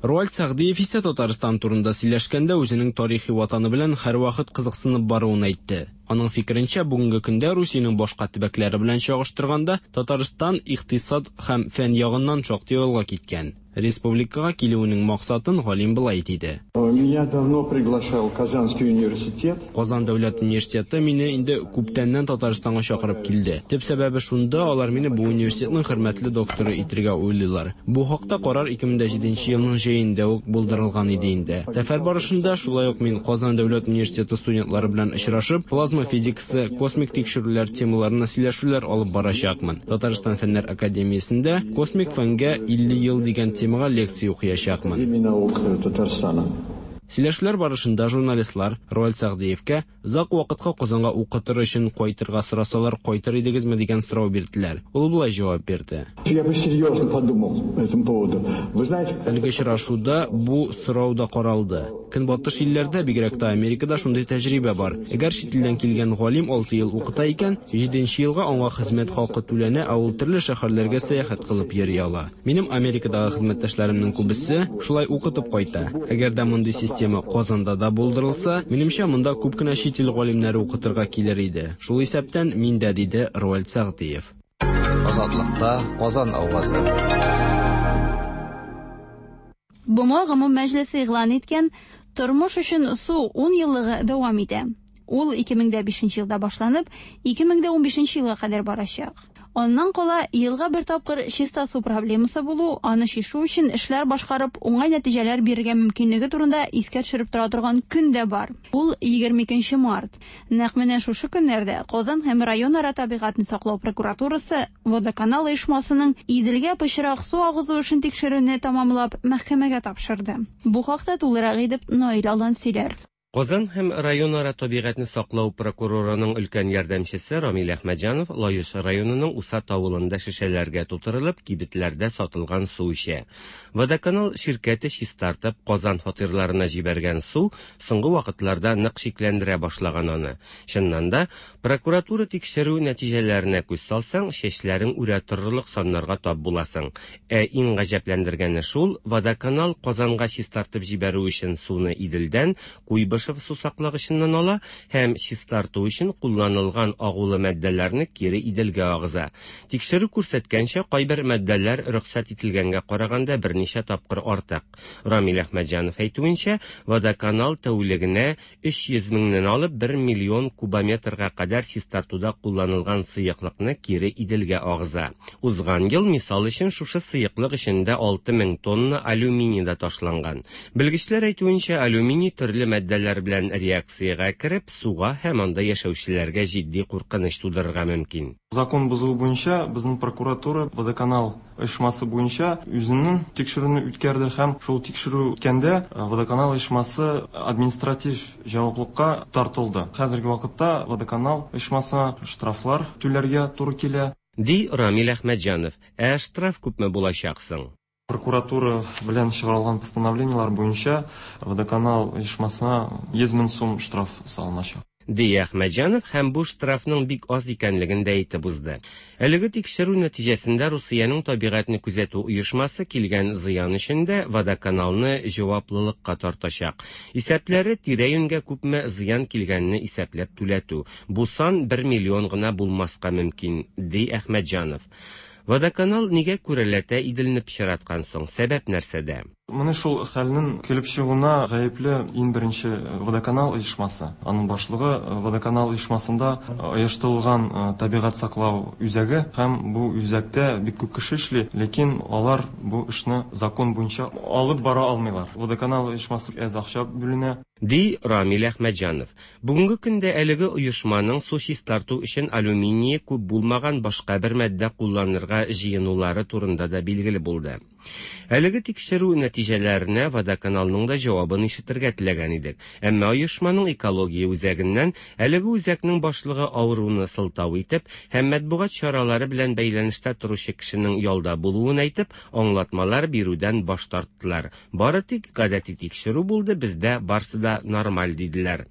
Роальд Сәгъдиев исә Татарстан турында сөйләшкәндә үзенең тарихи ватаны белән һәрвакыт кызыксынып баруын әйтте. Аның фикеренчә, бүгенге көндә Русиянең башка төбәкләре белән чагыштырганда, Татарстан икътисад һәм фән ягыннан шактый алга киткән. Республикага килүенең максатын галим болай диде. Меня давно приглашал Казанский университет. Казан дәүләт университеты мине инде күптәннән Татарстанга чакырып килде. Төп сәбәбе шунда, алар мине бу университетның хөрмәтле докторы итергә уйлыйлар. Бу хакта карар 2007 елның җәендә үк булдырылган иде инде. Сәфәр барышында шулай ук мин Казан дәүләт университеты студентлары белән очрашып, плазма физикасы, космик тикшерүләр темаларына сөйләшүләр алып барачакмын. Татарстан Фәннәр академиясендә Космик фәнгә 50 ел дигән темага лекция укыячакмын. Академии наук Татарстана. Сөйләшүләр барышында журналистлар Роальд Сәгъдиевкә озак вакытка Казанга укытыр өчен кайтырга сорасалар, кайтыр идегезме дигән сорау бирделәр. Ул болай җавап бирде. Я бы серьезно подумал по этому поводу. Вы знаете, Әлеге очрашуда бу сорау да каралды. Көнбатыш илләрдә, бигрәк тә Америкада шундый тәҗрибә бар. Әгәр чит илдән килгән галим 6 ел укыта икән, 7 елга аңа хезмәт хакы түләнә, ә ул төрле шәһәрләргә сәяхәт кылып йөри ала. Минем Америкадагы хезмәттәшләремнең күбесе шулай укытып кайта. Әгәр дә мондый система Казанда да булдырылса, минемчә, монда күп кенә чит ил галимнәре укытырга килер иде. Шул исәптән мин дә, диде Роальд Сәгъдиев. Азатлыкта Казан авазы. БМО гомум мәҗлесе игълан иткән Тормыш өчен су 10 еллыгы дәвам итә. Ул 2005 елда башланып, 2015 елга кадәр барачак. Аннан кала елга бер тапкыр чиста су проблемасы булу, аны чишү өчен эшләр башкарып, уңай нәтиҗәләр бирергә мөмкинлеге турында искә төшереп тора торган көн дә бар. Ул 22 март. Нәкъ менә шушы көннәрдә Казан һәм районара табигатьне саклау прокуратурасы Водоканал оешмасының Иделгә пычрак су агызу эшен тикшерүне тәмамлап, мәхкәмәгә тапшырды. Бу хакта тулырак итеп Наил Алан сөйләр. Казан һәм районара табигатьне саклау прокурорының өлкән ярдәмчесе Рамил Әхмәтҗанов Лаеш районының Усад авылында шешәләргә тутырылып кибетләрдә сатылган су эчә. Водоканал ширкәте чистартып Казан фатирларына җибәргән су соңгы вакытларда нык шикләндерә башлаган аны. Чыннан да, прокуратура тикшерү нәтиҗәләренә күз салсаң, чәчләрең үрә торырлык саннарга тап буласың. Ә иң гаҗәпләндергәне шул, Водоканал Казанга чистартып җибәрү өчен суны Иделдән, Куйбышев сусаклагычыннан ала һәм чистарту өчен кулланылган агулы матдәләрне кире Иделгә агыза. Тикшерү күрсәткәнчә, кайбер матдәләр рөхсәт ителгәнгә караганда берничә тапкыр артык. Рамил Әхмәтҗанов әйтүенчә, Водоканал тәүлегенә 300 меңнән алып 1 миллион кубометрга кадәр чистартуда кулланылган сыеклыкны кире Иделгә агыза. Узган ел, мисал өчен, шушы сыеклык эчендә 6000 тонна алюминий да ташланган. Белгечләр әйтүенчә, алюминий төрле матдәләр белән реакциягә кереп, суга һәм анда яшәүчеләргә җитди куркыныч тудырырга мөмкин. Закон бозылу буенча безнең прокуратура Водоканал оешмасы буенча үзенең тикшерүне үткәрде һәм шул тикшерү үткәндә Водоканал оешмасы административ җаваплылыкка тартылды. Хәзерге вакытта Водоканал оешмасына штрафлар түләргә туры килә. Ди Рамил Әхмәтҗанов. Ә штраф күпме булачак соң? Прокуратура белән чыгарылган постановлениеләр буенча Водоканал оешмасына 100 мең сум штраф салыначак. Ди Әхмәтҗанов һәм бу штрафның бик аз икәнлеген дә әйтеп узды. Әлеге тикшерү нәтиҗәсендә Русиянең табигатьне күзәтү оешмасы килгән зыян өчен дә Водоканалны җаваплылыкка тартачак. Исәпләре тирә-юньгә күпме зыян килгәнне исәпләп түләтү. Бу сан 1 миллион гына булмаска мөмкин, ди Әхмәтҗанов. Водоканал нигә күрәләтә Иделне пычраткан соң? Сәбәп нәрсәдә? Моны шул хәлнең килеп чыгуына гаепле иң беренче Водоканал оешмасы. Аның башлыгы Водоканал оешмасында оештырылган табигать саклау үзәге һәм бу үзәктә бик күп кеше эшли, ләкин алар бу эшне закон буенча алып бара алмыйлар. Водоканал оешмасы әз акча бүленә. Ди Рамил Әхмәтҗанов. Бүгенге көндә әлеге оешманың су чистарту өчен алюминие күп булмаган башка бер матдә кулланырга җыенулары турында да билгеле булды. Әлеге тикшерү нәтиҗәләренә Водоканалның да җавабын ишетергә теләгән идек. Әмма оешманың экология үзәгеннән әлеге үзәкнең башлыгы авыруны сылтау итеп һәм матбугат чаралары белән бәйләнештә торучы кешенең ялда булуын әйтеп, аңлатмалар бирүдән баш тарттылар. Бары тик гадәти тикшерү булды, бездә барсы да нормаль диделәр.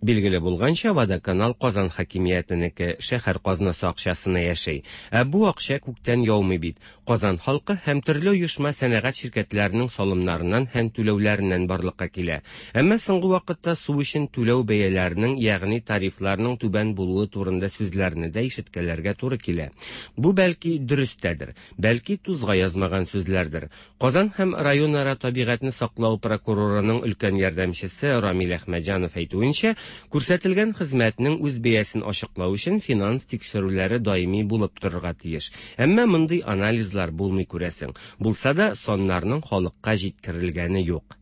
Билгеле булганча, Водоканал Казан хакимиятенеке, шәһәр казнасы акчасына яши. Ә бу акча күктән яумый бит. Казан халкы һәм төрле оешма сәнәгать ширкәтләренең салымнарыннан һәм түләүләреннән барлыкка килә. Әмма соңгы вакытта су өчен түләү бәяләренең, ягъни тарифларның түбән булуы турында сүзләрне дә ишеткәләргә туры килә. Бу бәлки дөрестәдер, бәлки тузга язмаган сүзләрдер. Казан һәм районара табигатьне саклау прокурорының өлкән ярдәмчесе Рамил Әхмәтҗанов әйтүенчә, күрсәтелгән хезмәтнең үз бәясен ачыклау өчен финанс тикшерүләре даими булып торырга тиеш. Әмма мондый анализлар булмый күрәсең. Булса да, саннарның халыкка җиткерелгәне юк.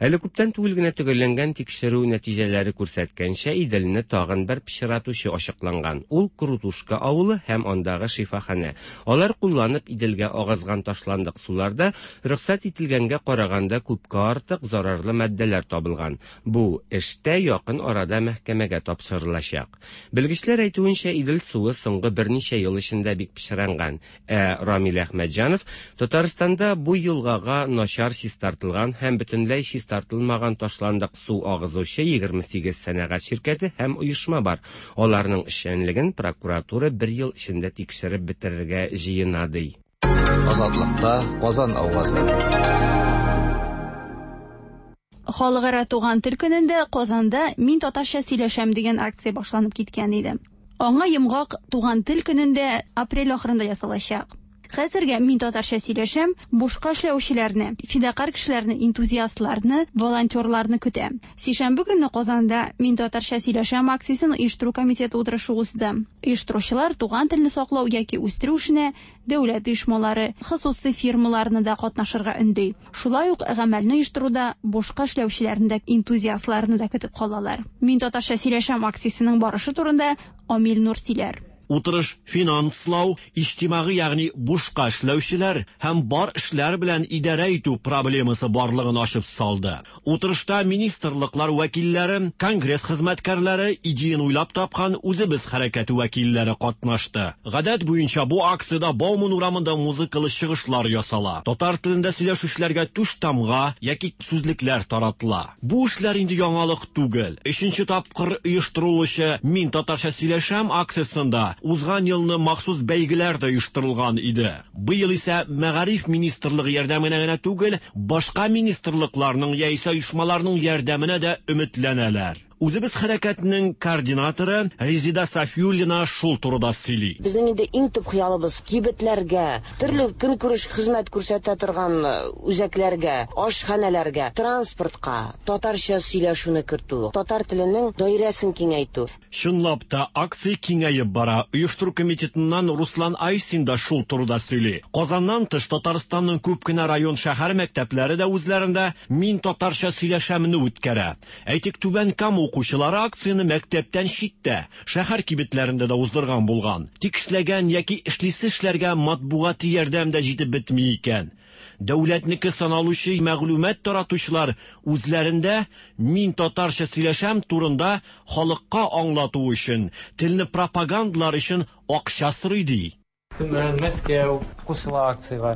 Әле күптән түгел генә төгәлләнгән тикшерү нәтиҗәләре күрсәткәнчә, Иделне тагын бер пычратучы ачыкланган. Ул Крутушка авылы һәм андагы шифаханә. Алар кулланып Иделгә агызган ташландык суларда рөхсәт ителгәнгә караганда күпкә артык зарарлы матдәләр табылган. Бу эш тә якын арада мәхкәмәгә тапшырылачак. Белгечләр әйтүенчә, Идел суы соңгы берничә ел эчендә бик пычранган. Ә Рамил Әхмәтҗанов Татарстанда бу елгага начар чистартылган һәм бөтенләй чистартылмаган ташландык су агызучы 28 сәнәгать ширкәте һәм оешма бар. Аларның эшчәнлеген прокуратура бер ел эчендә тикшереп бетерергә җыена ди. Азатлыкта Казан авазы. Халыкара туган тел көнендә Казанда Мин татарча сөйләшәм дигән акция башланып киткән иде. Аңа йомгак туган тел көнендә апрель ахырында ясалачак. Хәзергә Мин татарча сөйләшәм бушка эшләүчеләрне, фидакарь кешеләрне, энтузиастларны, волонтерларны көтә. Сишәмбе көнне Казанда Мин татарча сөйләшәм акциясен оештыру комитеты утырышы узды. Оештыручылар туган телне саклау яки үстерү эшенә дәүләт оешмалары, хосусый фирмаларны да катнашырга өнди. Шулай ук гамәлне оештыруда бушка эшләүчеләрне дә, энтузиастларны да көтеп калалар. Мин татарча сөйләшәм акциясенең барышы турында Амил Нур сөйләр. Утырыш финанслау, иҗтимагый ягъни бушка эшләүчеләр һәм бар эшләр белән идарә итү проблемасы барлыгын ачып салды. Утырышта министрлыклар вәкилләре, конгресс хезмәткәрләре, идеяны уйлап тапкан Үзебез хәрәкәте вәкилләре катнашты. Гадәт буенча бу акциядә Бауман урамында музыкалы чыгышлар ясала. Татар телендә сөйләшүчеләргә түш тамга яки сүзлекләр таратыла. Бу эшләр инде яңалык түгел. Өченче тапкыр оештырылучы Мин татарча сөйләшәм акциясендә узган елны махсус бәйгеләр дә оештырылган иде. Быел исә Мәгариф министрлыгы ярдәменә генә түгел, башка министрлыкларның яисә оешмаларның ярдәменә дә өметләнәләр. Үзебез хәрәкәтенең координаторы Резида Сафиуллина шул турыда сөйли. Безнең инде иң төп хыялыбыз кибетләргә, төрле көнкүреш хезмәт күрсәтә торган үзәкләргә, ашханәләргә, транспортка татарча сөйләшүне кертү, татар теленең даирәсен киңәйтү. Чынлап та, акция киңәеп бара. Оештыру комитетыннан Руслан Айсин да шул турыда сөйли. Казаннан тыш Татарстанның күп кенә район шәһәр мәктәпләре дә үзләрендә Мин татарча сөйләшәмне үткәрә. Әйтик, Түбән Кама укучылары акцияне мәктәптән читтә, шәһәр кибетләрендә дә уздырган булган. Тик эшләгән яки эшлисе эшләргә матбугати ярдәм дә җитеп бетми икән. Дәүләтнеке саналучы мәгълүмат таратучылар үзләрендә Мин татарча сөйләшәм турында халыкка аңлату өчен, телне пропагандалар өчен акча сорый ди. Төмән, Мәскәү кушыла акциягә.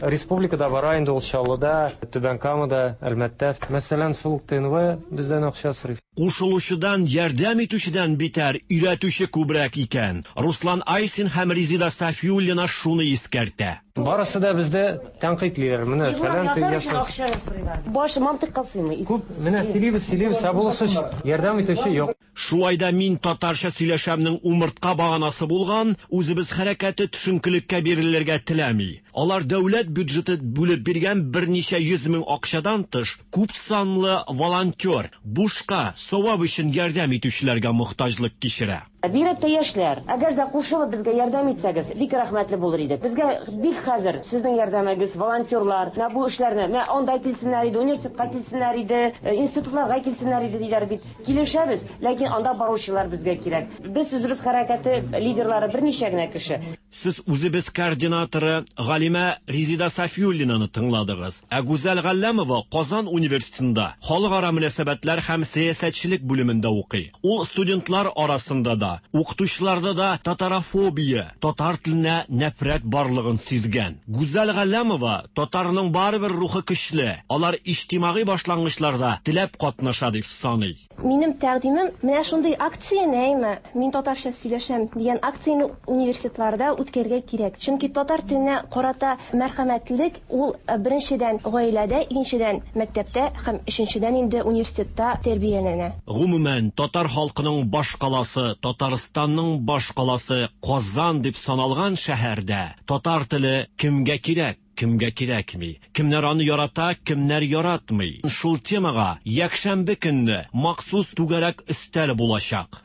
Республикада бара инде ул Чаллыда, Түбән Камада, Әлмәттә. Мәсәлән, шул ук ТНВ бездән акча сорый. Кушылучыдан, ярдәм итүчедән битәр, өйрәтүче күбрәк икән. Руслан Айсин һәм Резида Сафиуллина шуны искәртә. Барысы да бездә тәнкыйтьлиләр. Менә фәлән Баш мантыйкка сыймый. Күп, менә сөйлибез, сөйлибез, ә булышы ярдәм итүче юк. Шулай да Мин татарча сөйләшәмнең умыртка баганасы булган Үзебез хәрәкәте төшенкелеккә бирелергә теләми. Алар дәүләт бюджеты бүлеп биргән берничә йөз мең акчадан тыш, күп санлы волонтер, бушка, савап өчен ярдәм итүчеләргә мохтаҗлык кичерә. Бигрәк тә яшьләр, әгәр дә кушылып безгә ярдәм итсәгез, бик рәхмәтле булыр идек. Безгә бик хәзер сезнең ярдәмегез, волонтерлар, менә бу эшләрне, менә анда килсеннәр иде, университетка килсеннәр иде, институтларга килсеннәр иде диләр бит. Килешәбез, ләкин анда баручылар безгә кирәк. Без үзебез хәрәкәте лидерлары берничә генә кеше. Сез үзебез координаторы галимә Резида Сафиуллинаны тыңладыгыз. Ә Гүзәл Галләмова Казан университетында халыкара мөнәсәбәтләр һәм сәясәтчелек бүлемендә укый. Ул студентлар арасында да, укытучыларда да татарофобия, татар теленә нәфрәт барлыгын сизгән. Гүзәл Галләмова татарның барыбер рухы көчле, алар иҗтимагый башлангычларда теләп катнаша дип саный. Минем тәкъдимем, менә шундый акцияне, әйме, мин татарча сөйләшәм дигән акцияне университетларда үткәрергә кирәк. Чөнки татар теленә карата мәрхәмәтлелек ул беренчедән гаиләдә, икенчедән мәктәптә һәм өченчедән инде университетта тәрбияләнә. Гомумән, татар халкының башкаласы, Татарстанның башкаласы Казан дип саналган шәһәрдә татар теле кемгә кирәк? Кемгә кирәкми? Кемнәр аны ярата, кемнәр яратмый? Шул темага якшәмбе көнне махсус түгәрәк өстәл булачак.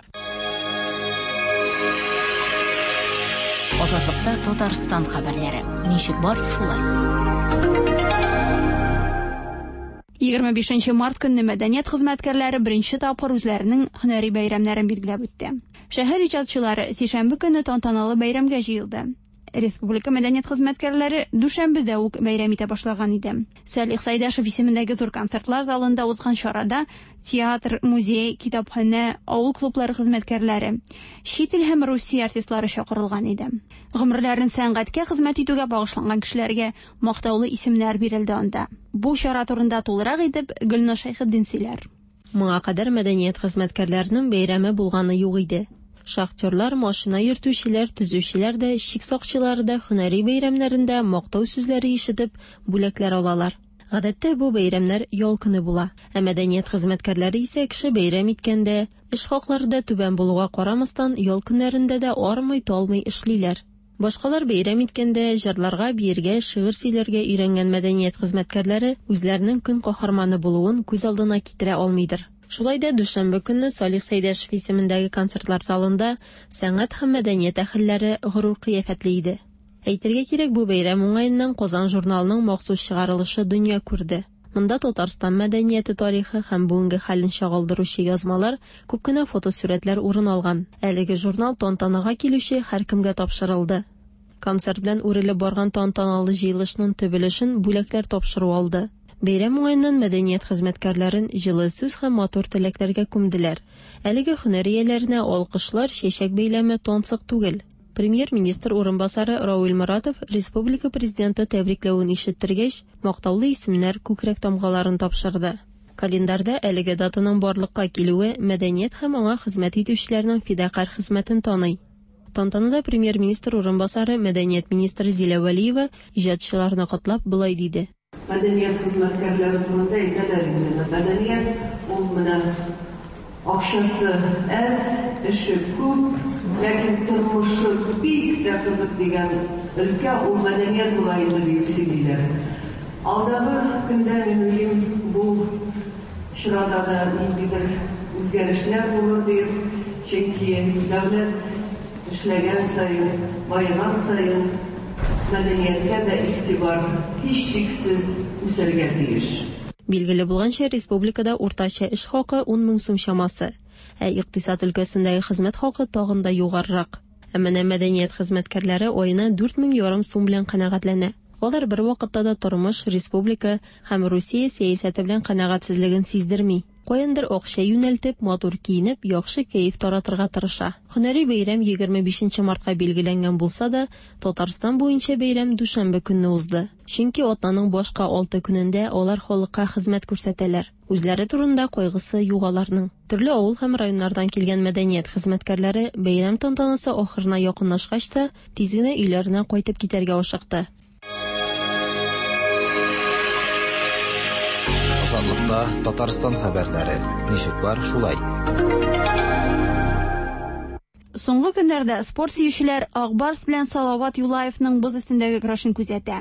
Азатлыкта Татарстан хәбәрләре. Ничек бар, шулай. 25 март көнне мәдәният хезмәткәрләре беренче тапкыр үзләренең һөнәри бәйрәмнәрен билгеләп үтте. Шәһәр иҗатчылары сишәмбе көнне тантаналы бәйрәмгә җыелды. Республика мәдәният хезмәткәрләре дүшәмбедә үк бәйрәм итә башлаган иде. Сәлих Сайдашев исемендәге зур концертлар залында узган чарада театр, музей, китапханә, авыл клублары хезмәткәрләре, чит ил һәм Русия артистлары чакырылган иде. Гомерләрен сәнгатькә хезмәт итүгә багышланган кешеләргә мактаулы исемнәр бирелде анда. Бу чара турында тулырак итеп Гөлназ Шәйхетдин сөйләр. Моңа кадәр мәдәният хезмәткәрләренең бәйрәме булганы юк иде. Шахтерлар, машина йөртүчеләр, төзүчеләр дә, чик сакчылары да һөнәри бәйрәмнәрендә мактау сүзләре ишетеп, бүләкләр алалар. Гадәттә бу бәйрәмнәр ял көне була. Ә мәдәният хезмәткәрләре исә кеше бәйрәм иткәндә, эш хаклары да түбән булуга карамастан, ял көннәрендә дә армый-талмый эшлиләр. Башкалар бәйрәм иткәндә, җырларга, биергә, шигырь сөйләргә өйрәнгән мәдәният хезмәткәрләре үзләренең көн каһарманы булуын күз алдына китерә алмыйдыр. Шулай да дүшәмбе көнне Салих Сәйдәшев исемендәге концертлар залында сәнгать һәм мәдәният әһелләре горур кыяфәтле иде. Әйтергә кирәк, бу бәйрәм уңаеннан Казан журналының махсус чыгарылышы дөнья күрде. Монда Татарстан мәдәнияте тарихы һәм бүгенге хәлен чагылдыручы язмалар, күп кенә фотосурәтләр урын алган. Әлеге журнал тантанага килүче һәркемгә тапшырылды. Концерт белән үрелеп барган тантаналы җыелышның төп өлешен бүләкләр тапшыру алды. Бәйрәм уңаеннан мәдәният хезмәткәрләрен җылы сүз һәм матур теләкләргә күмделәр. Әлеге һөнәр ияләренә алкышлар, чәчәк бәйләме тансык түгел. Премьер-министр урынбасары Равил Моратов республика президенты тәбрикләвен ишеттергәч, мактаулы исемнәр, күкрәк тамгаларын тапшырды. Календарьда әлеге датаның барлыкка килүе мәдәният һәм аңа хезмәт итүчеләрнең фидакарь хезмәтен таный. Тантанада премьер-министр урынбасары, мәдәният министры Зилә Вәлиева иҗатчыларны котлап болай диде. Мәдәният хезмәткәрләре турында әйтәләр инде. Мәдәният ул менә акчасы әз, эше күп, ләкин тормышы бик тә кызык дигән өлкә ул мәдәният була инде диеп сөйлиләр. Алдагы көндә мин уйлыйм, бу чорада да ниндидер үзгәрешләр булыр диеп, чөнки дәүләт эшләгән саен, баеган саен мәдәнияткә дә игътибар һичшиксез үсәргә тиеш. Билгеле булганча, республикада уртача эш хакы 10 мең сум чамасы, ә икътисад өлкәсендәге хезмәт хакы тагын да югарырак. Ә менә мәдәният хезмәткәрләре аена 4 мең ярым сум белән канәгатьләнә. Алар бер вакытта да тормыш, республика һәм Русия сәясәте белән канәгатьсезлеген сиздерми. Каяндыр акча юнәлтеп, матур киенеп, яхшы кәеф таратырга тырыша. Һөнәри бәйрәм 25 мартка билгеләнгән булса да, Татарстан буенча бәйрәм дүшәмбе көнне узды. Чөнки атнаның башка 6 көнендә алар халыкка хезмәт күрсәтәләр. Үзләре турында кайгысы юк аларның. Төрле авыл һәм районнардан килгән мәдәният хезмәткәрләре бәйрәм тантанасы ахырына якынлашкач та, тиз генә өйләренә кайтып китәргә ашыкты. Азатлыкта Татарстан хәбәрләре. Ничек бар, шулай. Соңгы көннәрдә спорт сөючеләр Ак Барс белән Салават Юлаевның боз өстендәге көрәшен күзәтә.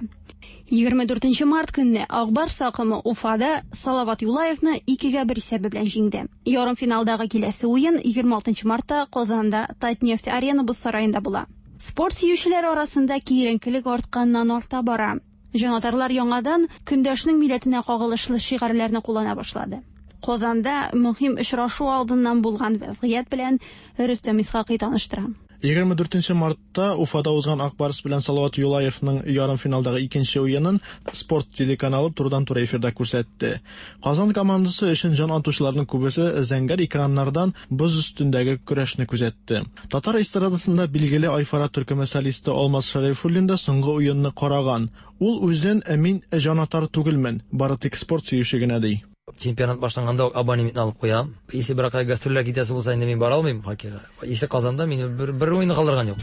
24 март көнне Ак Барс такымы Уфада Салават Юлаевны 2-1 исәбе белән җиңде. Ярымфиналдагы киләсе уен 26 мартта Казанда Татнефть Арена боз сараенда була. Спорт сөючеләр арасында киеренкелек артканнан арта бара. Җанатарлар яңадан көндәшнең милләтенә кагылышлы шигарьләрне куллана башлады. Казанда мөһим очрашу алдыннан булган вәзгыять белән Рөстәм Исхакый таныштыра. 24 мартта Уфада узган Ак Барс белән Салават Юлаевның ярымфиналдагы икенче уенын Спорт телеканалы турыдан-туры эфирда күрсәтте. Казан командасы өчен җан атучыларның күбесе зәңгәр экраннардан боз өстендәге көрәшне күзәтте. Татар эстрадасында билгеле Айфара төркеме солисты Алмаз Шәрифуллин да соңгы уенны караган. Ул үзен мин җанатар түгелмен, бары тик спорт сөюче генә ди. Чемпионат башланганда ук абонементны алып куям. Если бер кая гастрольләр китәсе булса, инде мин бара алмыйм хоккейга. Если Казанда мине бер, бер уен калдырган юк.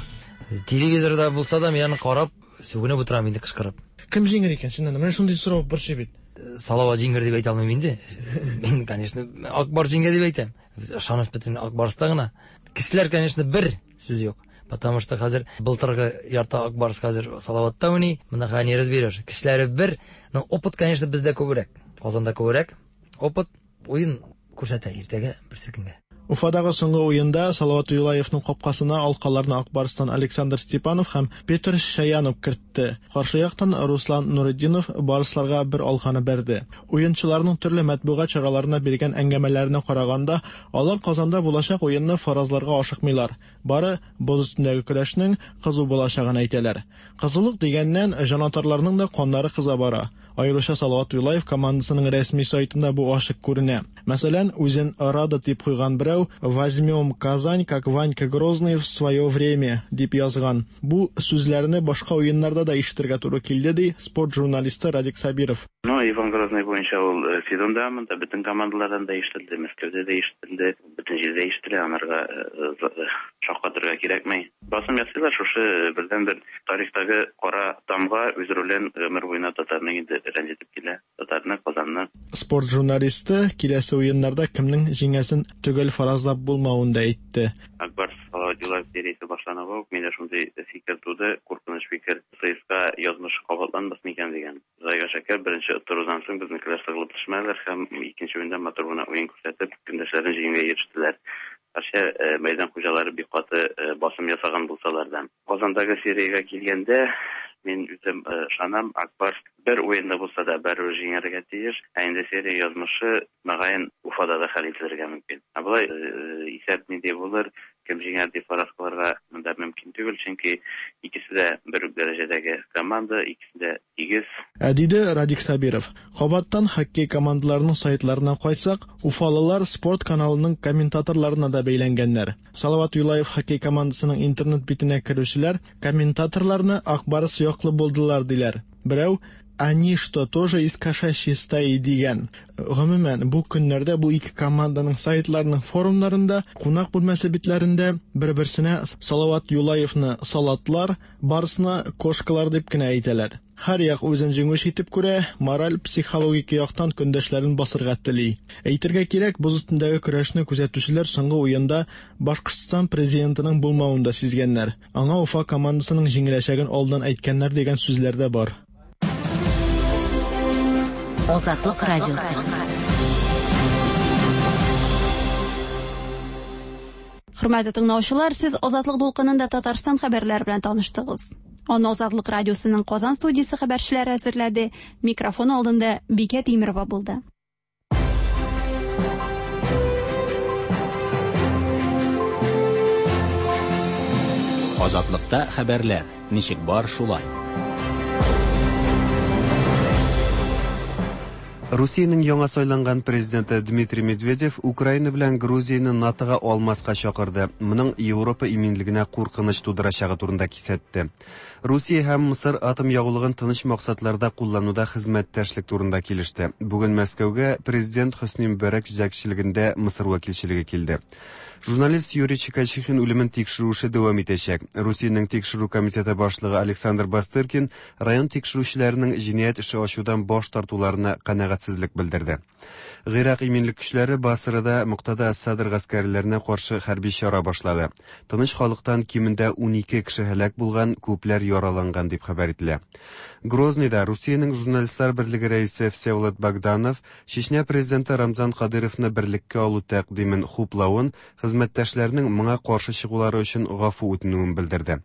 Телевизорда булса да, мин аны карап, сүгенеп утырам инде кычкырып. Кем җиңер икән, чыннан да? Менә шундый сорау борчый бит. Салават җиңер дип әйтә алмыйм инде. Мин, конечно, Ак Барс җиңгә дип әйтәм. Ышаныч бөтен Ак Барста гына. Кешеләр, конечно, бер сүз юк. Потому что хәзер былтыргы ярты Ак Барс хәзер Салаватта уйный. Монда хәзер не разберешь. Кешеләре бер, но опыт, конечно, бездә күбрәк. Казанда күбрәк. Опыт уен күрсәтә иртәгә берсекөнгә. Уфадагы соңгы уенда Салават Юлаевның капкасына алкаларны Ак Барстан Александр Степанов һәм Петр Шаянов кертте. Каршы яктан Руслан Нуретдинов барсларга бер алканы бәрде. Уенчыларның төрле матбугат чараларына биргән әңгәмәләренә караганда, алар Казанда булачак уенны фаразларга ашыкмыйлар. Бары боз өстендәге көрәшнең кызу булачагын әйтәләр. Кызулык дигәннән, җанатарларның да каннары кыза бара. Аеруча Салават Юлаев командасының рәсми сайтында бу ачык күренә. Мәсәлән, үзен Рада дип куйган берәү «Возьмем Казань, как Ванька Грозный в свое время» дип язган. Бу сүзләрне башка уеннарда да ишетергә туры килде, ди спорт журналисты Радик Сабиров. Ну, Иван Грозный буенча ул сезон дәвамында бөтен командалардан да ишетелде, Мәскәүдә дә ишетелде, бөтен җирдә ишетелә, анарга шаккатырга кирәкми. Басым ясыйлар, шушы бердәнбер тарихтагы кара тамга үз ролен гомер буена татарны инде рәнҗетеп килә. Татарны, Казанны. Спорт журналисты киләсе уеннарда кемнең җиңәсен төгәл фаразлап булмавын да әйтте. Ак Барс Салават Юлаев сериясе башлануга ук миндә шундый фикер туды, куркыныч фикер, ЦСКА язмышы кабатланмас микән дигән. Құдайға шәкер, беренче оттырудан соң безнекеләр сыгылып төшмәделәр һәм икенче уенда матур гына уен күрсәтеп, көндәшләрен җиңүгә ирештеләр. Гәрчә мәйдан хуҗалары бик каты басым ясаган булсалар да. Казандагы сериягә килгәндә, мин үзем ышанам, Ак Барс бер уенда булса да барыбер җиңәргә тиеш. Ә инде серия язмышы, мөгаен, Уфада да хәл ителергә мөмкин. Ә болай исәп нинди булыр, кем җиңәр дип фараз кылырга монда мөмкин түгел, чөнки икесе дә бер үк дәрәҗәдәге команда, икесе дә тигез. Ә диде Радик Сабиров. Кабаттан хоккей командаларының сайтларына кайтсак, уфалылар спорт каналының комментаторларына да бәйләнгәннәр. Салават Юлаев хоккей командасының интернет битенә керүчеләр комментаторларны Ак Барс яклы булдылар диләр. Берәү Они что, тоже из кошачьей стаи дигән. Гомумән, бу көннәрдә бу ике команданың сайтларының форумнарында, кунак бүлмәсе битләрендә бер-берсенә Салават Юлаевны салатлар, Барсны кошкалар дип кенә әйтәләр. Һәр як үзен җиңүче итеп күрә, мораль, психологик яктан көндәшләрен басырга тели. Әйтергә кирәк, боз өстендәге көрәшне күзәтүчеләр соңгы уенда Башкортстан президентының булмавын да сизгәннәр. Аңа Уфа командасының җиңеләчәген алдан әйткәннәр дигән сүзләр дә бар. Азатлык радиосы. Хөрмәтле тыңлаучылар, сез Азатлык дулкынында Татарстан хәбәрләре белән таныштыгыз. Аны Азатлык радиосының Казан студиясе хәбәрчеләре әзерләде. Микрофон алдында Бикә Тимерова булды. Азатлыкта хәбәрләр ничек бар шулай. Русиянең яңа сайланган президенты Дмитрий Медведев Украина белән Грузияне НАТОга алмаска чакырды. Моның Европа иминлегенә куркыныч тудырачагы турында кисәтте. Русия һәм Мысыр атом ягулыгын тыныч максатларда куллануда хезмәттәшлек турында килеште. Бүген Мәскәүгә президент Хөсни Мөбәрәк җитәкчелегендә Мысыр вәкилчелеге килде. Журналист Юрий Чикачихин үлемен тикшерү эше дәвам итәчәк. Русиянең тикшерү комитеты башлыгы Александр Бастыркин район тикшерүчеләренең җинаять эше ачудан баш тартуларына канәгатьсезлек белдерде. Гыйрак иминлек көчләре Басрада Муктада әс-Садр гаскәрләренә каршы хәрби чара башлады. Тыныч халыктан кимендә 12 кеше һәлак булган, күпләр яраланган дип хәбәр ителә. Грозныйда Русиянең журналистлар берлеге рәисе Всеволод Богданов Чечня президенты Рамзан Кадыровны берлеккә алу тәкъдимен хуплавын, хезмәттәшләренең моңа каршы чыгулары өчен гафу үтенүен белдерде.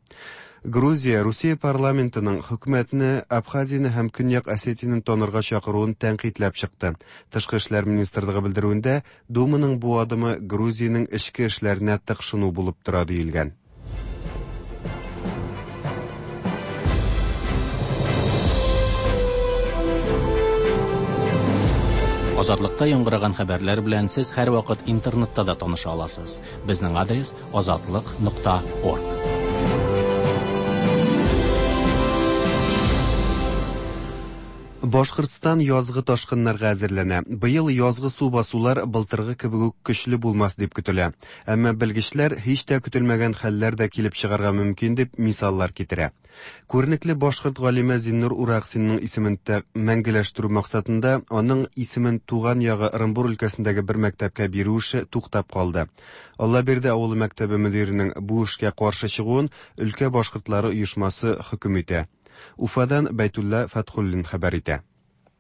Грузия Русия парламентының хөкүмәтне Абхазияне һәм Көньяк Осетияне танырга чакыруын тәнкыйтьләп чыкты. Тышкы эшләр министрлыгы белдерүендә Думаның бу адымы Грузиянең эчке эшләренә тыкшыну булып тора диелгән. Азатлыкта яңгыраган хәбәрләр белән сез һәрвакыт интернетта да таныша аласыз. Безнең адрес азатлык.орг. Башкортстан язгы ташкыннарга әзерләнә. Быел язгы су басулар былтыргы кебек үк көчле булмас дип көтелә. Әмма белгечләр һич тә көтелмәгән хәлләр дә килеп чыгарга мөмкин дип мисаллар китерә. Күренекле башкорт галиме Зиннур Ураксинның исемен мәңгеләштерү максатында аның исемен туган ягы Ырынбур өлкәсендәге бер мәктәпкә бирү эше туктап калды. Аллабирде авылы мәктәбе мөдиренең бу эшкә каршы чыгуын өлкә башкортлары оешмасы хөкем итә. Уфадан Бәйтулла Фәтхуллин хәбәр итә.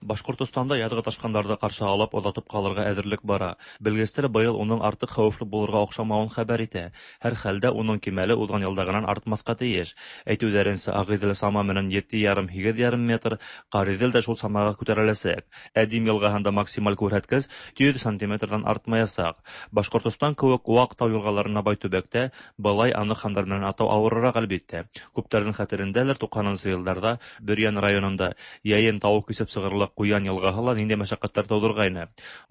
Башкортостанда язгы ташкыннарны каршы алып, озатып калырга әзерлек бара. Белгечләр быел уның артык хәвефле булырга охшамавын хәбәр итә. Һәрхәлдә уның кимәле узган елдагынан артмаска тиеш. Әйтүләренчә, Агыйдел сама менән 7,5-8,5 метр, Карыйдел дә шул самага күтәреләчәк. Ә Дим елгаһында максималь күрһәткеч 100 сантиметрдан артмаячак. Башкортостан кебек вак тау елгаларына бай төбәктә былай анык саннар белән атау авыррак, әлбиттә. Күпләрнең хәтерендәдер, 90 елларда Бөрьян районында йәен тавык кисеп чыгарлык Куян елгаһы ла нинди мәшәкатьләр тудыргайны.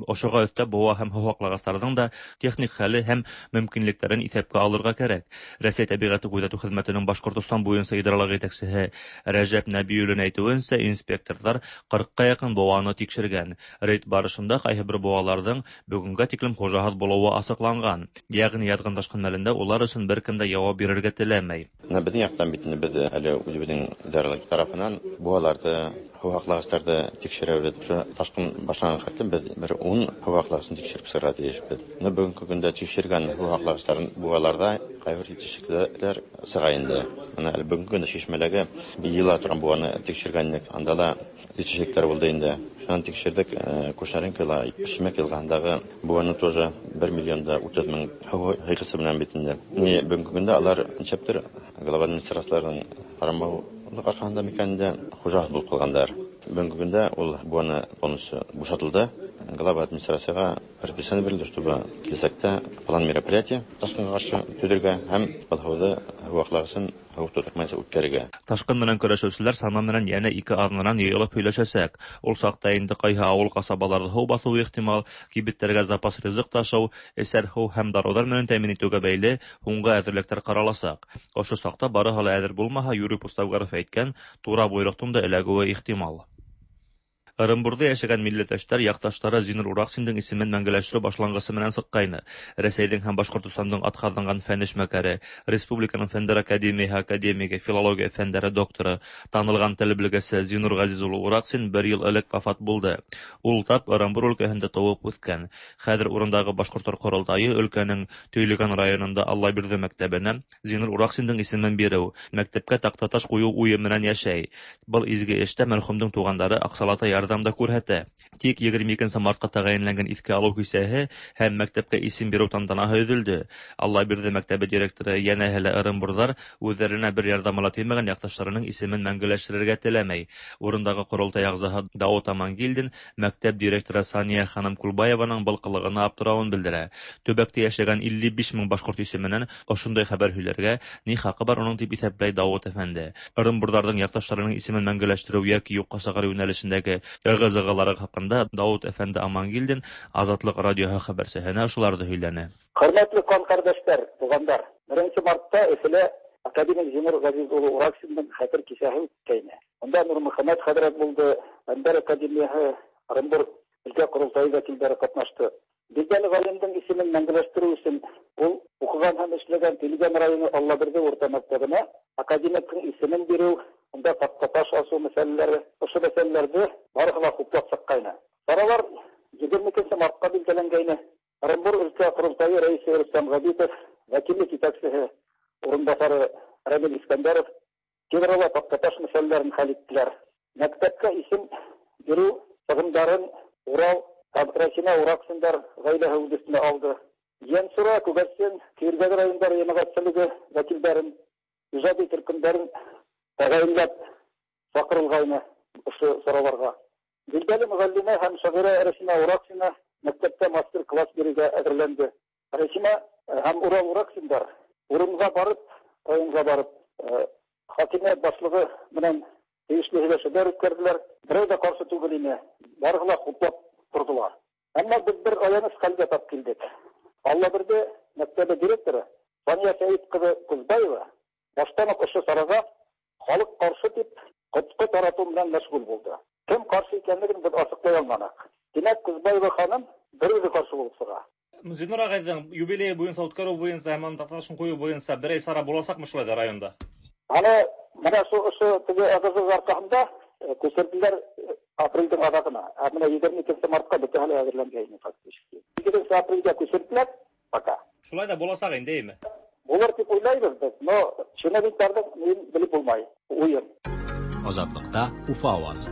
Ошога өстәп буа һәм һу һаклагычларның да техник хәле һәм мөмкинлекләрен иҫәпкә алырга кәрәк. Рәсәй тәбиғәте күҙәтеү хеҙмәтенең Башҡортостан буйынса идаралыҡ етәксеһе Рәжәп Нәбиуллин әйтеүенсә, инспекторҙар 40-ҡа яҡын быуаны тикшергән. Рейд барышында ҡайһы бер быуаларҙың бөгөнгә тиклем хужаһыҙ булыуы асыҡланған. Йәғни яҙғын ташҡын мәлендә улар өсөн бер кем дә яуап бирергә теләмәй. Беҙҙең яҡтан бит инде беҙ әле үҙебеҙҙең идаралыҡ тарафынан быуаларҙы, һыу һаҡлағыстарҙы тикшерәбеҙ. Ошо ташҡын башланған хәтлем беҙ бер 10 һыу һаҡлағысын тикшереп сығырға тейешбеҙ. Бөгөнгө көндә тикшергән һыу һаҡлағыстарын быуаларҙа ҡайбер етешһеҙлектәр сыға инде. Бына әле бөгөнгө көндә шишмәләге йыйыла торған быуаны тикшергәнлек, анда ла етешһеҙлектәр булды инде. Шунан тикшерҙек, Кушнаренкола Шимәк йылғаһындағы быуаны тоже 1 миллион да 30 мең һыу һыйғысы менән бит инде. Бөгөнгө көндә алар нисәптер глава администрацияларының ҡарамаулыҡ арҡаһында микән инде хужаһыҙ булып ҡалғандар. Бөгөнгө көндә ул быуаны полностью бушатылды. Глава администрацияға предписание бирелде, чтобы киләсәктә план мероприятия ташҡынға ҡаршы төҙөргә һәм был һыуҙы һыу һаҡлағысын һыу тотормайса үткәрергә. Ташҡын менән көрәшеүселәр сана менән йәнә 2 аҙнанан йыйылып һөйләшәсәк. Ул саҡта инде ҡайһы ауыл ҡасабаларҙы һыу баҫыуы ихтимал, кибеттәргә запас ризыҡ ташыу, эсәр һыу һәм дарыуҙар менән тәьмин итеүгә бәйле һуңғы әҙерлектәр ҡараласаҡ. Ошо саҡта барыһы ла әҙер булмаһа, Юрий Пустовгаров әйткән тура бойороҡтоң да эләгеүе ихтимал. Ырымбурҙа йәшәгән милләттәштәр яҡташтары Зиннур Ураксиндың исемен мәңгеләштереү башланғысы менән сыҡҡайны. Рәсәйҙең һәм Башҡортостандың атҡаҙанған фән эшмәкәре, Республиканың Фәндәр академияһы академигы, филология фәндәре докторы, танылған тел белгесе Зиннур Ғәзиз улы Ураксин бер йыл элек вафат булды. Ул тап Ырымбур өлкәһендә тыуып үҫкән. Хәҙер урындағы башҡорттар ҡоролтайы өлкәнең Төйлөгән районында Аллабирҙе мәктәбенә Зиннур Ураксиндың исемен биреү, мәктәпкә таҡтаташ ҡуйыу уйы менән йәшәй. Был изге эштә мәрхүмдең туғандары аҡсалата ярҙам да күрһәтә. Тик 22 мартҡа тәғәйенләнгән иҫкә алыу кисәһе һәм мәктәпкә исем биреү тантанаһы өҙөлдө. Аллабирҙе мәктәбе директоры йәнәһе лә ырымбурҙар үҙҙәренә бер ярҙамы ла теймәгән яҡташтарының исемен мәңгеләштерергә теләмәй. Урындағы ҡоролтай ағзаһы Дауыт Амангилдин мәктәп директоры Сания ханым Кулбаеваның был ҡылығына аптырауын белдерә. Төбәктә йәшәгән 55 мең башҡорт исеменән ошондай хәбәр һөйләргә ни хаҡы бар уның тип иҫәпләй Дауыт әфәнде. Ырымбурҙарҙың яҡташтарының исемен мәңгеләштереү йәки юҡҡа сығарыу йүнәлешендәге ығы-зығылары хаҡында Дауыт әфәнде Амангилдин Азатлыҡ радиоһы хәбәрсеһенә ошоларҙы һөйләне. Хөрмәтле ҡан ҡәрҙәштәр, туғандар, 1 мартта Өфөлә академик Зиннур Ғәзиз улы Ураксиндың хәтер кисәһе үткәйне. Унда Нурмөхәмәт хәҙрәт булды, Фәндәр академияһы, Ырымбур өлкә ҡоролтайы вәкилдәре ҡатнашты. Билдәле ғалимдың исемен мәңгеләштереү өсөн ул уҡыған һәм эшләгән Төйлөгән районы Аллабирҙе урта мәктәбенә академиктың исемен биреү, унда таҡтаташ асыу мәсьәләләре, ошо мәсьәләләрҙе барыһы ла хуплап сыҡҡайны. Саралар 22 мартҡа билдәләнгәйне. Ырымбур өлкә ҡоролтайы рәйесе Рөстәм Ғәбитов, вәкиллек етәксеһе урынбаҫары Рәмил Искәндәров Кедровла таҡтаташ мәсьәләләрен хәл иттеләр. Мәктәпкә исем биреү сығымдарын Урал һәм Рәсимә Ураксиндар ғаиләһе үҙ өҫтөнә алды. Йәнсура, Күгәрсен, Көйөргәҙе райондары йәмәғәтселеге вәкилдәрен, ижади төркөмдәрен тәғәйенләп саҡырылғайны ошо сараларға. Билдәле мөғәллимә һәм шағирә Рәсимә Ураксина мәктәптә мастер-класс бирергә әҙерләнде. Рәсимә һәм Урал Ураксиндар урынға барып, районға барып, хакимиәт башлығы менән тейешле һөйләшеүҙәр үткәрҙеләр. Берәү ҙә ҡаршы түгел ине. Барыһы ла хуплап тордылар. Әмма без бер аяныч хәлгә тап килдек. Аллабирде мәктәбе директоры Сания Сәет кызы Кузбаева баштан ук ошо чарага халык каршы дип коткы тарату белән мәшгуль булды. Кем каршы икәнлеген без ачыклый алмадык. Димәк, Кузбаева ханым бер үзе каршы булып чыга. Зиннур агайның юбилее буенча үткәрү буенча һәм аның такташын кую буенча берәй чара булачакмы шулай да районда? Аны менә шу ошо теге ыгы-зыгы аркасында күчерделәр апрельдең азагына. Ә менә 22 мартка бөтә әле әзерләнгән фактически. 22 апрельгә күчерделәр пока. Шулай да булачак инде, әйме? Булыр дип уйлайбыз без, но чиновникларның мин белеп булмай. Уен. Азатлыкта Уфа авазы.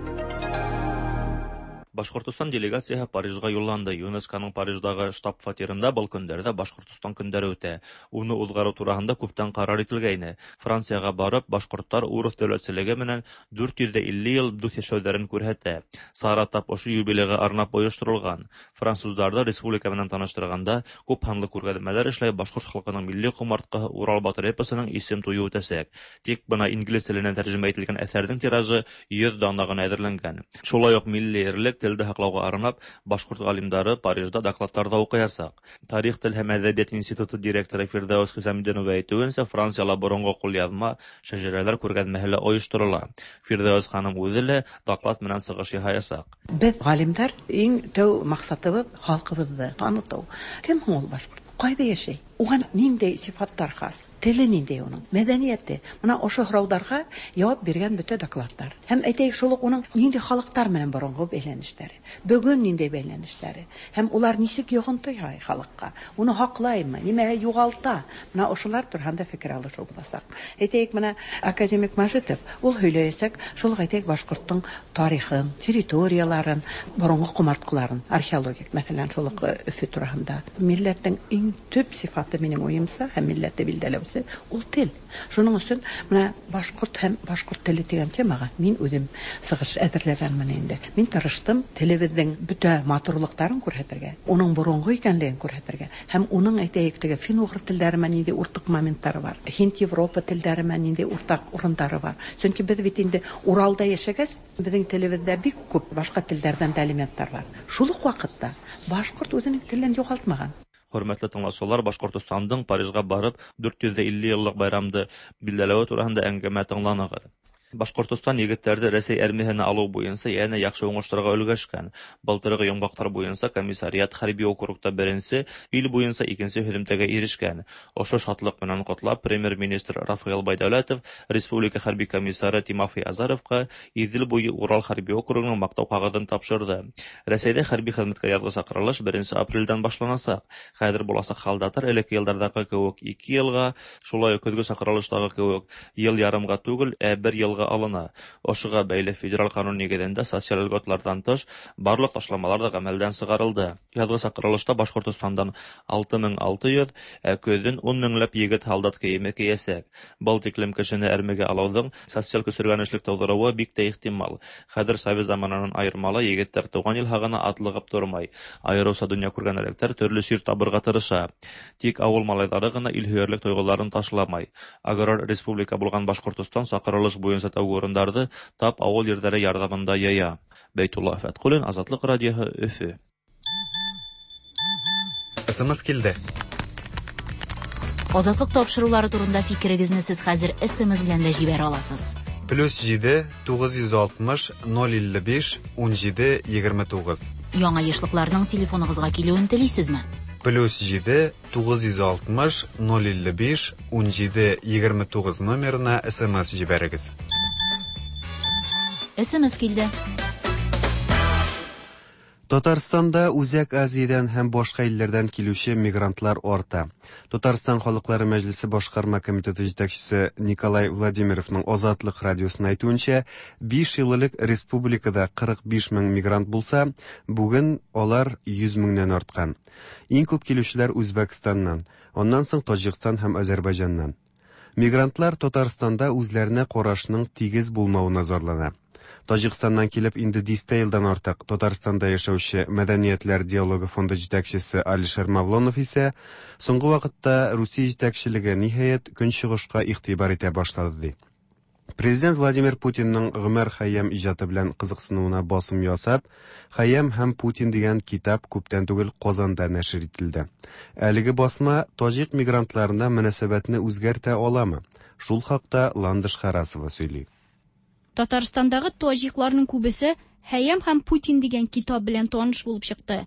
Башкортостан делегацияһы Парижга юлланды. ЮНЕСКОның Париждагы штаб-фатирында был көндәрдә Башкортостан көндәре үтә. Уны уҙғарыу тураһында күптән ҡарар ителгәйне. Францияға барып, башҡорттар урыҫ дәүләтселеге менән 450 йыл дуҫ йәшәүҙәрен күрһәтә. Сара тап ошо юбилейға арнап ойошторолған. Француздарҙы республика менән таныштырғанда күп һанлы күргәҙмәләр эшләй башҡорт халҡының милли ҡомартҡыһы Урал батыр эпосының исем туйы үтәсәк. Тик бына инглиз теленән тәржемә ителгән әҫәрҙең тиражы 100 дана ғына әҙерләнгән. Шулай уҡ милли ерлек телде һаҡлауға арнап башҡорт ғалимдары Парижда докладтар ҙа уҡыясаҡ. Тарих, тел һәм әҙәбиәт институты директоры Фирҙәүес Хисамидинова әйтеүенсә, Францияла боронғо ҡулъяҙма шәжәрәләр күргәҙмәһе лә ойошторола. Фирҙәүес ханым үҙе лә доклад менән сығыш яһаясаҡ. Беҙ ғалимдар иң тәү маҡсатыбыҙ халҡыбыҙҙы танытыу. Кем һуң ул башҡорт? Ҡайҙа йәшәй? Уға ниндәй сифаттар хас? Теле ниндәй уның? Мәҙәниәте? Бына ошо һорауҙарға яуап биргән бөтә докладтар. Һәм әйтәйек, шул уҡ уның ниндәй халыҡтар менән боронғо бәйләнештәре, бөгөн ниндәй бәйләнештәре, һәм улар нисек йоғонто яһай халыҡҡа, уны һаҡлаймы, нимәгә юғалта? Бына ошолар тураһында фекер алышыу буласаҡ. Әйтәйек, бына академик Мажитов ул һөйләйәсәк, шул уҡ әйтәйек, башҡорттоң тарихын, территорияларын, боронғо ҡомартҡыларын, археологик, мәҫәлән, шул уҡ Өфө тураһында. Милләттең иң төп сифаты минең уйымса һәм милләтте билдәләүсе ул тел. Шуның өсөн бына башҡорт һәм башҡорт теле тигән темаға мин үҙем сығыш әҙерләгәнмен инде. Мин тырыштым телебеҙҙең бөтә матурлыҡтарын күрһәтергә, уның боронғо икәнлеген күрһәтергә һәм уның әйтәйек теге фин-уғыр телдәре менән ниндәй уртаҡ моменттары бар, һинд-Европа телдәре менән ниндәй уртаҡ урындары бар. Сөнки беҙ бит инде Уралда йәшәгәс, беҙҙең телебеҙҙә бик күп башҡа телдәрҙән дә элементтар бар. Шул уҡ ваҡытта башҡорт үҙенең телен юғалтмаған. Хөрмәтле тыңлаусылар, Башҡортостандың Парижға барып 450 йыллыҡ байрамды билдәләүе тураһында әңгәмә тыңланығыҙ. Башҡортостан егеттәрҙе Рәсәй армияһына алыу буйынса йәнә яҡшы уңыштарға өлгәшкән. Былтырғы йомғаҡтар буйынса комиссариат хәрби округта беренсе, ил буйынса икенсе һөҙөмтәгә ирешкән. Ошо шатлыҡ менән ҡотлап, премьер-министр Рафаэл Байдәүләтов республика хәрби комиссары Тимофей Азаровҡа Иҙел буйы Урал хәрби округының маҡтау ҡағыҙын тапшырҙы. Рәсәйҙә хәрби хеҙмәткә яҙғы саҡырылыш 1 апрелдән башланасаҡ. Хәҙер буласаҡ һалдаттар элекке йылдарҙағы кеүек 2 йылға, шулай уҡ көҙгө саҡырылыштағы кеүек йыл ярымға түгел, ә 1 йылға алына. Ошоға бәйле федераль ҡанун нигеҙендә социаль льготларҙан тыш барлыҡ ташламалар ҙа ғәмәлдән сығарылды. Яҙғы саҡырылышта Башҡортостандан 6600, ә көҙөн 10 меңләп егет һалдат кейеме кейәсәк. Был тиклем кешене әрмегә алыуҙың социаль көсөргәнешлек тыуҙырыуы бик тә ихтимал. Хәҙер совет заманынан айырмалы егеттәр тыуған ил һағына атлығып тормай. Айырыуса донъя күргән төрлө сир табырға тырыша. Тик ауыл малайҙары ғына илһөйәрлек тойғоларын ташламай. Аграр республика булған Башҡортостан саҡырылыш буйынса тәүге урындарҙы тап ауыл ерҙәре ярҙамында йыя. Бәйтулла Фәтҡуллин, Азатлыҡ радиоһы, Өфө. СМС килде. Азатлыҡ тапшырыулары турында фикерегеҙне һеҙ хәҙер СМС белән дә җибәрә аласыз. +7 960 055 17 29. Яңа ешлыкларның телефоныгызга килүен телисезме? +7 960 055 17 29 номерына СМС җибәрегез. СМС килде. Татарстанда Үзәк Азиядән һәм башка илләрдән килүче мигрантлар арта. Татарстан Халыклары Мәҗлесе башкарма комитеты җитәкчесе Николай Владимировның Азатлык радиосына әйтүенчә, 5 ел элек республикада 45 мең мигрант булса, бүген алар 100 меңнән арткан. Иң күп килүчеләр Үзбәкстаннан, аннан соң Таҗикстан һәм Азәрбайҗаннан. Мигрантлар Татарстанда үзләренә карашның тигез булмавына зарлана. Таҗикстаннан килеп инде дистә елдан артык Татарстанда яшәүче Мәдәниятләр диалогы фонды җитәкчесе Алишер Мавлонов исә соңгы вакытта Русия җитәкчелеге ниһаять көнчыгышка игътибар итә башлады ди. Президент Владимир Путинның Гомәр Хәйям иҗаты белән кызыксынуына басым ясап, Хәйям һәм Путин дигән китап күптән түгел Казанда нәшер ителде. Әлеге басма таҗик мигрантларына мөнәсәбәтне үзгәртә аламы? Шул хакта Ландыш Харасова сөйли. Татарстандагы таҗикларның күбесе Хәйям һәм Путин дигән китап белән таныш булып чыкты.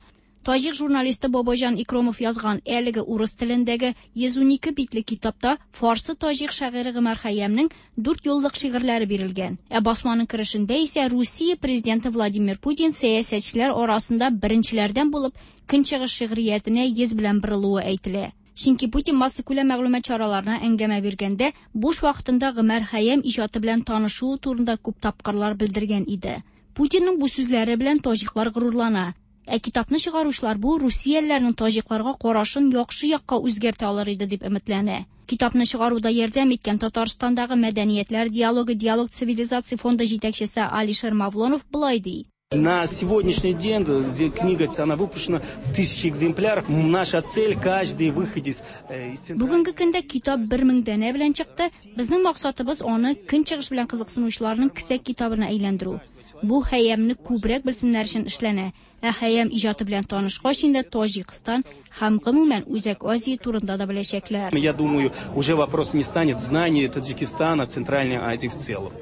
Таҗик журналисты Бобоҗан Икромов язган әлеге урыс телендәге 112 битле китапта фарсы-таҗик шагыйре Гомәр Хәйямнең дүрт юллык шигырьләре бирелгән. Ә басманың керешендә исә Русия президенты Владимир Путин сәясәтчеләр арасында беренчеләрдән булып Көнчыгыш шигъриятенә йөз белән борылуы әйтелә. Чөнки Путин массакүләм мәгълүмат чараларына әңгәмә биргәндә буш вакытында Гомәр Хәйям иҗаты белән танышуы турында күп тапкырлар белдергән иде. Путинның бу сүзләре белән таҗиклар горурлана. Ә китапны чыгаручылар бу русиялеләрнең таҗикларга карашын яхшы якка үзгәртә алыр иде дип өметләнә. Китапны чыгаруда ярдәм иткән Татарстандагы Мәдәниятләр диалогы Диалог цивилизаций фонды җитәкчесе Алишер Мавлонов болай ди. На сегодняшний день где книга она выпущена в тысячи экземпляров. Наша цель каждый выходец э, из Бүгенге көндә китап 1000 данә белән чыкты. Безнең максатыбыз аны көнчыгыш белән кызыксынучыларның кесә китабына әйләндерү. Бу Хәйямне күбрәк белсеннәр өчен эшләнә. Ә Хәйям иҗаты белән танышкач инде Таҗикстан һәм гомумән Үзәк Азия турында да беләчәкләр. Я думаю, уже вопрос не станет знания Таджикистана, Центральной Азии в целом.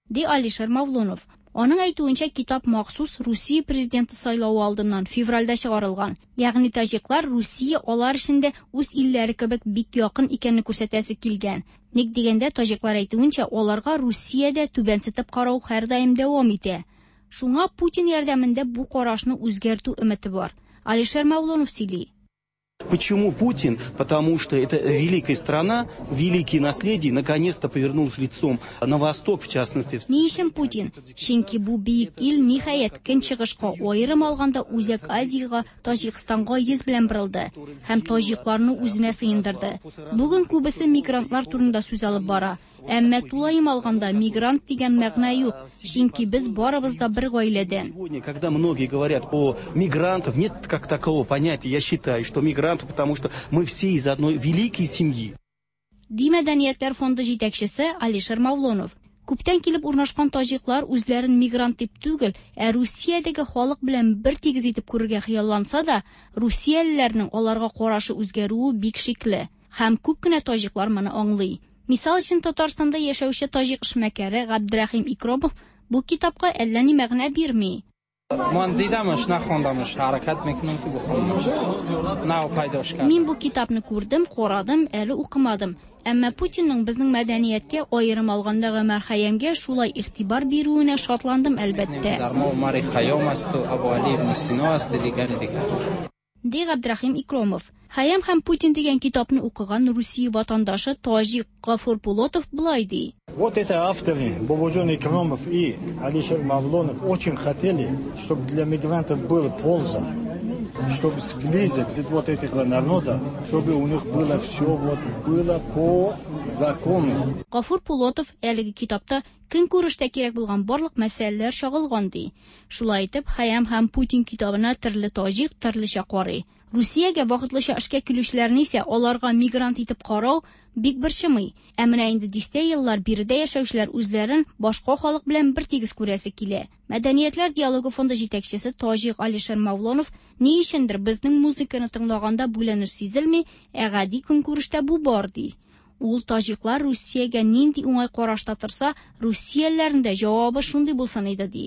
Ди Алишер Мавлонов. Аның әйтүенчә, китап махсус Русия президенты сайлавы алдыннан февральдә чыгарылган. Ягъни таҗиклар Русия алар өчен дә үз илләре кебек бик якын икәнне күрсәтәсе килгән. Ник дигәндә, таҗиклар әйтүенчә, аларга Русиядә түбәнсетеп карау һәрдаим дәвам итә. Шуңа Путин ярдәмендә бу карашны үзгәртү өмете бар. Алишер Мавлонов сөйли. Почему Путин? Потому что это великая страна, великие наследие, наконец-то повернулась лицом на восток, в частности. Ни өчен Путин? Чөнки бу бөек ил ниһаять көнчыгышка, аерым алганда Үзәк Азиягә, Таҗикстанга йөз белән борылды һәм таҗикларны үзенә сыендырды. Бүген күбесе мигрантлар турында сүз алып бара. Әмма тулаем алганда мигрант дигән мәгънә юк, чөнки без барыбыз да бер гаиләдән. Сегодня, когда многие говорят о мигрантах, нет как такового понятия. Я считаю, что мигранты, потому что мы все из одной великой семьи. Ди Мәдәниятләр фонды җитәкчесе Алишер Мавлонов. Күптән килеп урнашкан таҗиклар үзләрен мигрант дип түгел, ә Русиядәге халык белән бер тигез итеп күрергә хыялланса да, русиялеләрнең аларга карашы үзгәрүе бик шикле. Һәм күп кенә таҗиклар моны аңлый. Мисал өчен, Татарстанда яшәүче таҗик эшмәкәре Габдрәхим Икромов бу китапка әллә ни мәгънә бирми. Ман дидамаш, нахондамаш, хәрәкәт мекунам ки бухонамаш. Нав пайдош кардам. Мин бу китапны күрдем, карадым, әле укымадым. Әмма Путинның безнең мәдәнияткә, аерым алганда Гомәр Хәйямгә шулай игътибар бирүенә шатландым, әлбәттә. Дар мо Умари Хайём асту, Абу Али ибн Сино асту, дигари дигар. Ди Габдрәхим Икромов. Хәйям һәм Путин дигән китапны укыган Русия ватандашы таҗик Гафур Пулотов болай ди. Вот это авторы Бободжон Икромов и Алишер Мавлонов очень хотели, чтобы для мигрантов была польза, чтобы сблизить вот этих народов, чтобы у них было все вот было по закону. Гафур Пулотов әлеге китапта көнкүрештә кирәк булган барлык мәсьәләләр чагылган ди. Шулай итеп, Хәйям һәм Путин китабына төрле таҗик төрлечә карый. Русиягә вакытлыча эшкә килүчеләрне исә аларга мигрант итеп карау бик борчымый. Ә менә инде дистә еллар биредә яшәүчеләр үзләрен башка халык белән бер тигез күрәсе килә. Мәдәниятләр диалогы фонды җитәкчесе таҗик Алишер Мавлонов ни өчендер безнең музыканы тыңлаганда бүленеш сизелми, ә гади көнкүрештә бу бар ди. Ул таҗиклар Русиягә нинди уңай карашта торса, русиялеләрнең дә җавабы шундый булсын иде ди.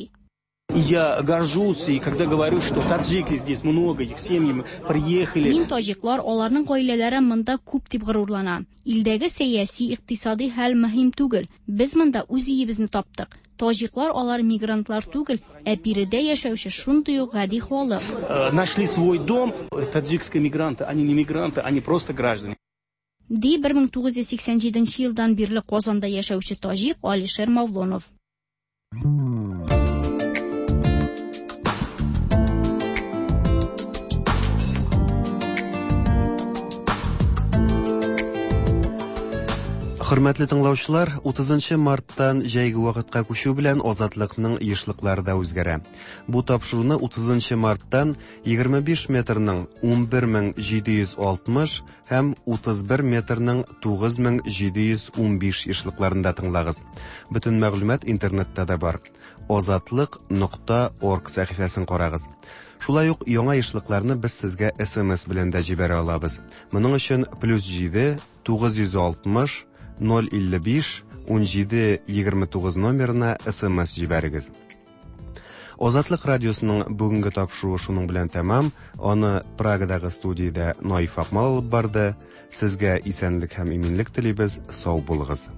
И я горжусь, и когда говорю, что таджики здесь много, их семьи приехали. Мин таҗиклар, аларның гаиләләре монда күп дип горурланам. Илдәге сәяси, икътисади хәл мөһим түгел. Без монда үз өебезне таптык. Таҗиклар алар мигрантлар түгел, ә биредә яшәүче шундый ук гади халык. Нашли свой дом. Таджикские мигранты, они не мигранты, они просто граждане. Ди 1987 елдан бирле Казанда яшәүче таҗик Алишер Мавлонов. Хөрмәтле тыңлаучылар, 30 марттан җәйге вакытка күчү белән Азатлыкның ешлыклары да үзгәрә. Бу тапшыруны 30 марттан 25 метрның 11760 һәм 31 метрның 9715 ешлыкларында тыңлагыз. Бөтен мәгълүмат интернетта да бар. Азатлык.орг сәхифәсен карагыз. Шулай ук яңа ешлыкларны без сезгә SMS белән дә җибәрә алабыз. Моның өчен плюс 7 960 055 17 29 номерына SMS җибәрегез. Азатлык радиосының бүгенге тапшыруы шуның белән тәмам. Аны Прагадагы студиядә Наиф Акмал алып барды. Сезгә исәнлек һәм иминлек телибез. Сау булыгыз.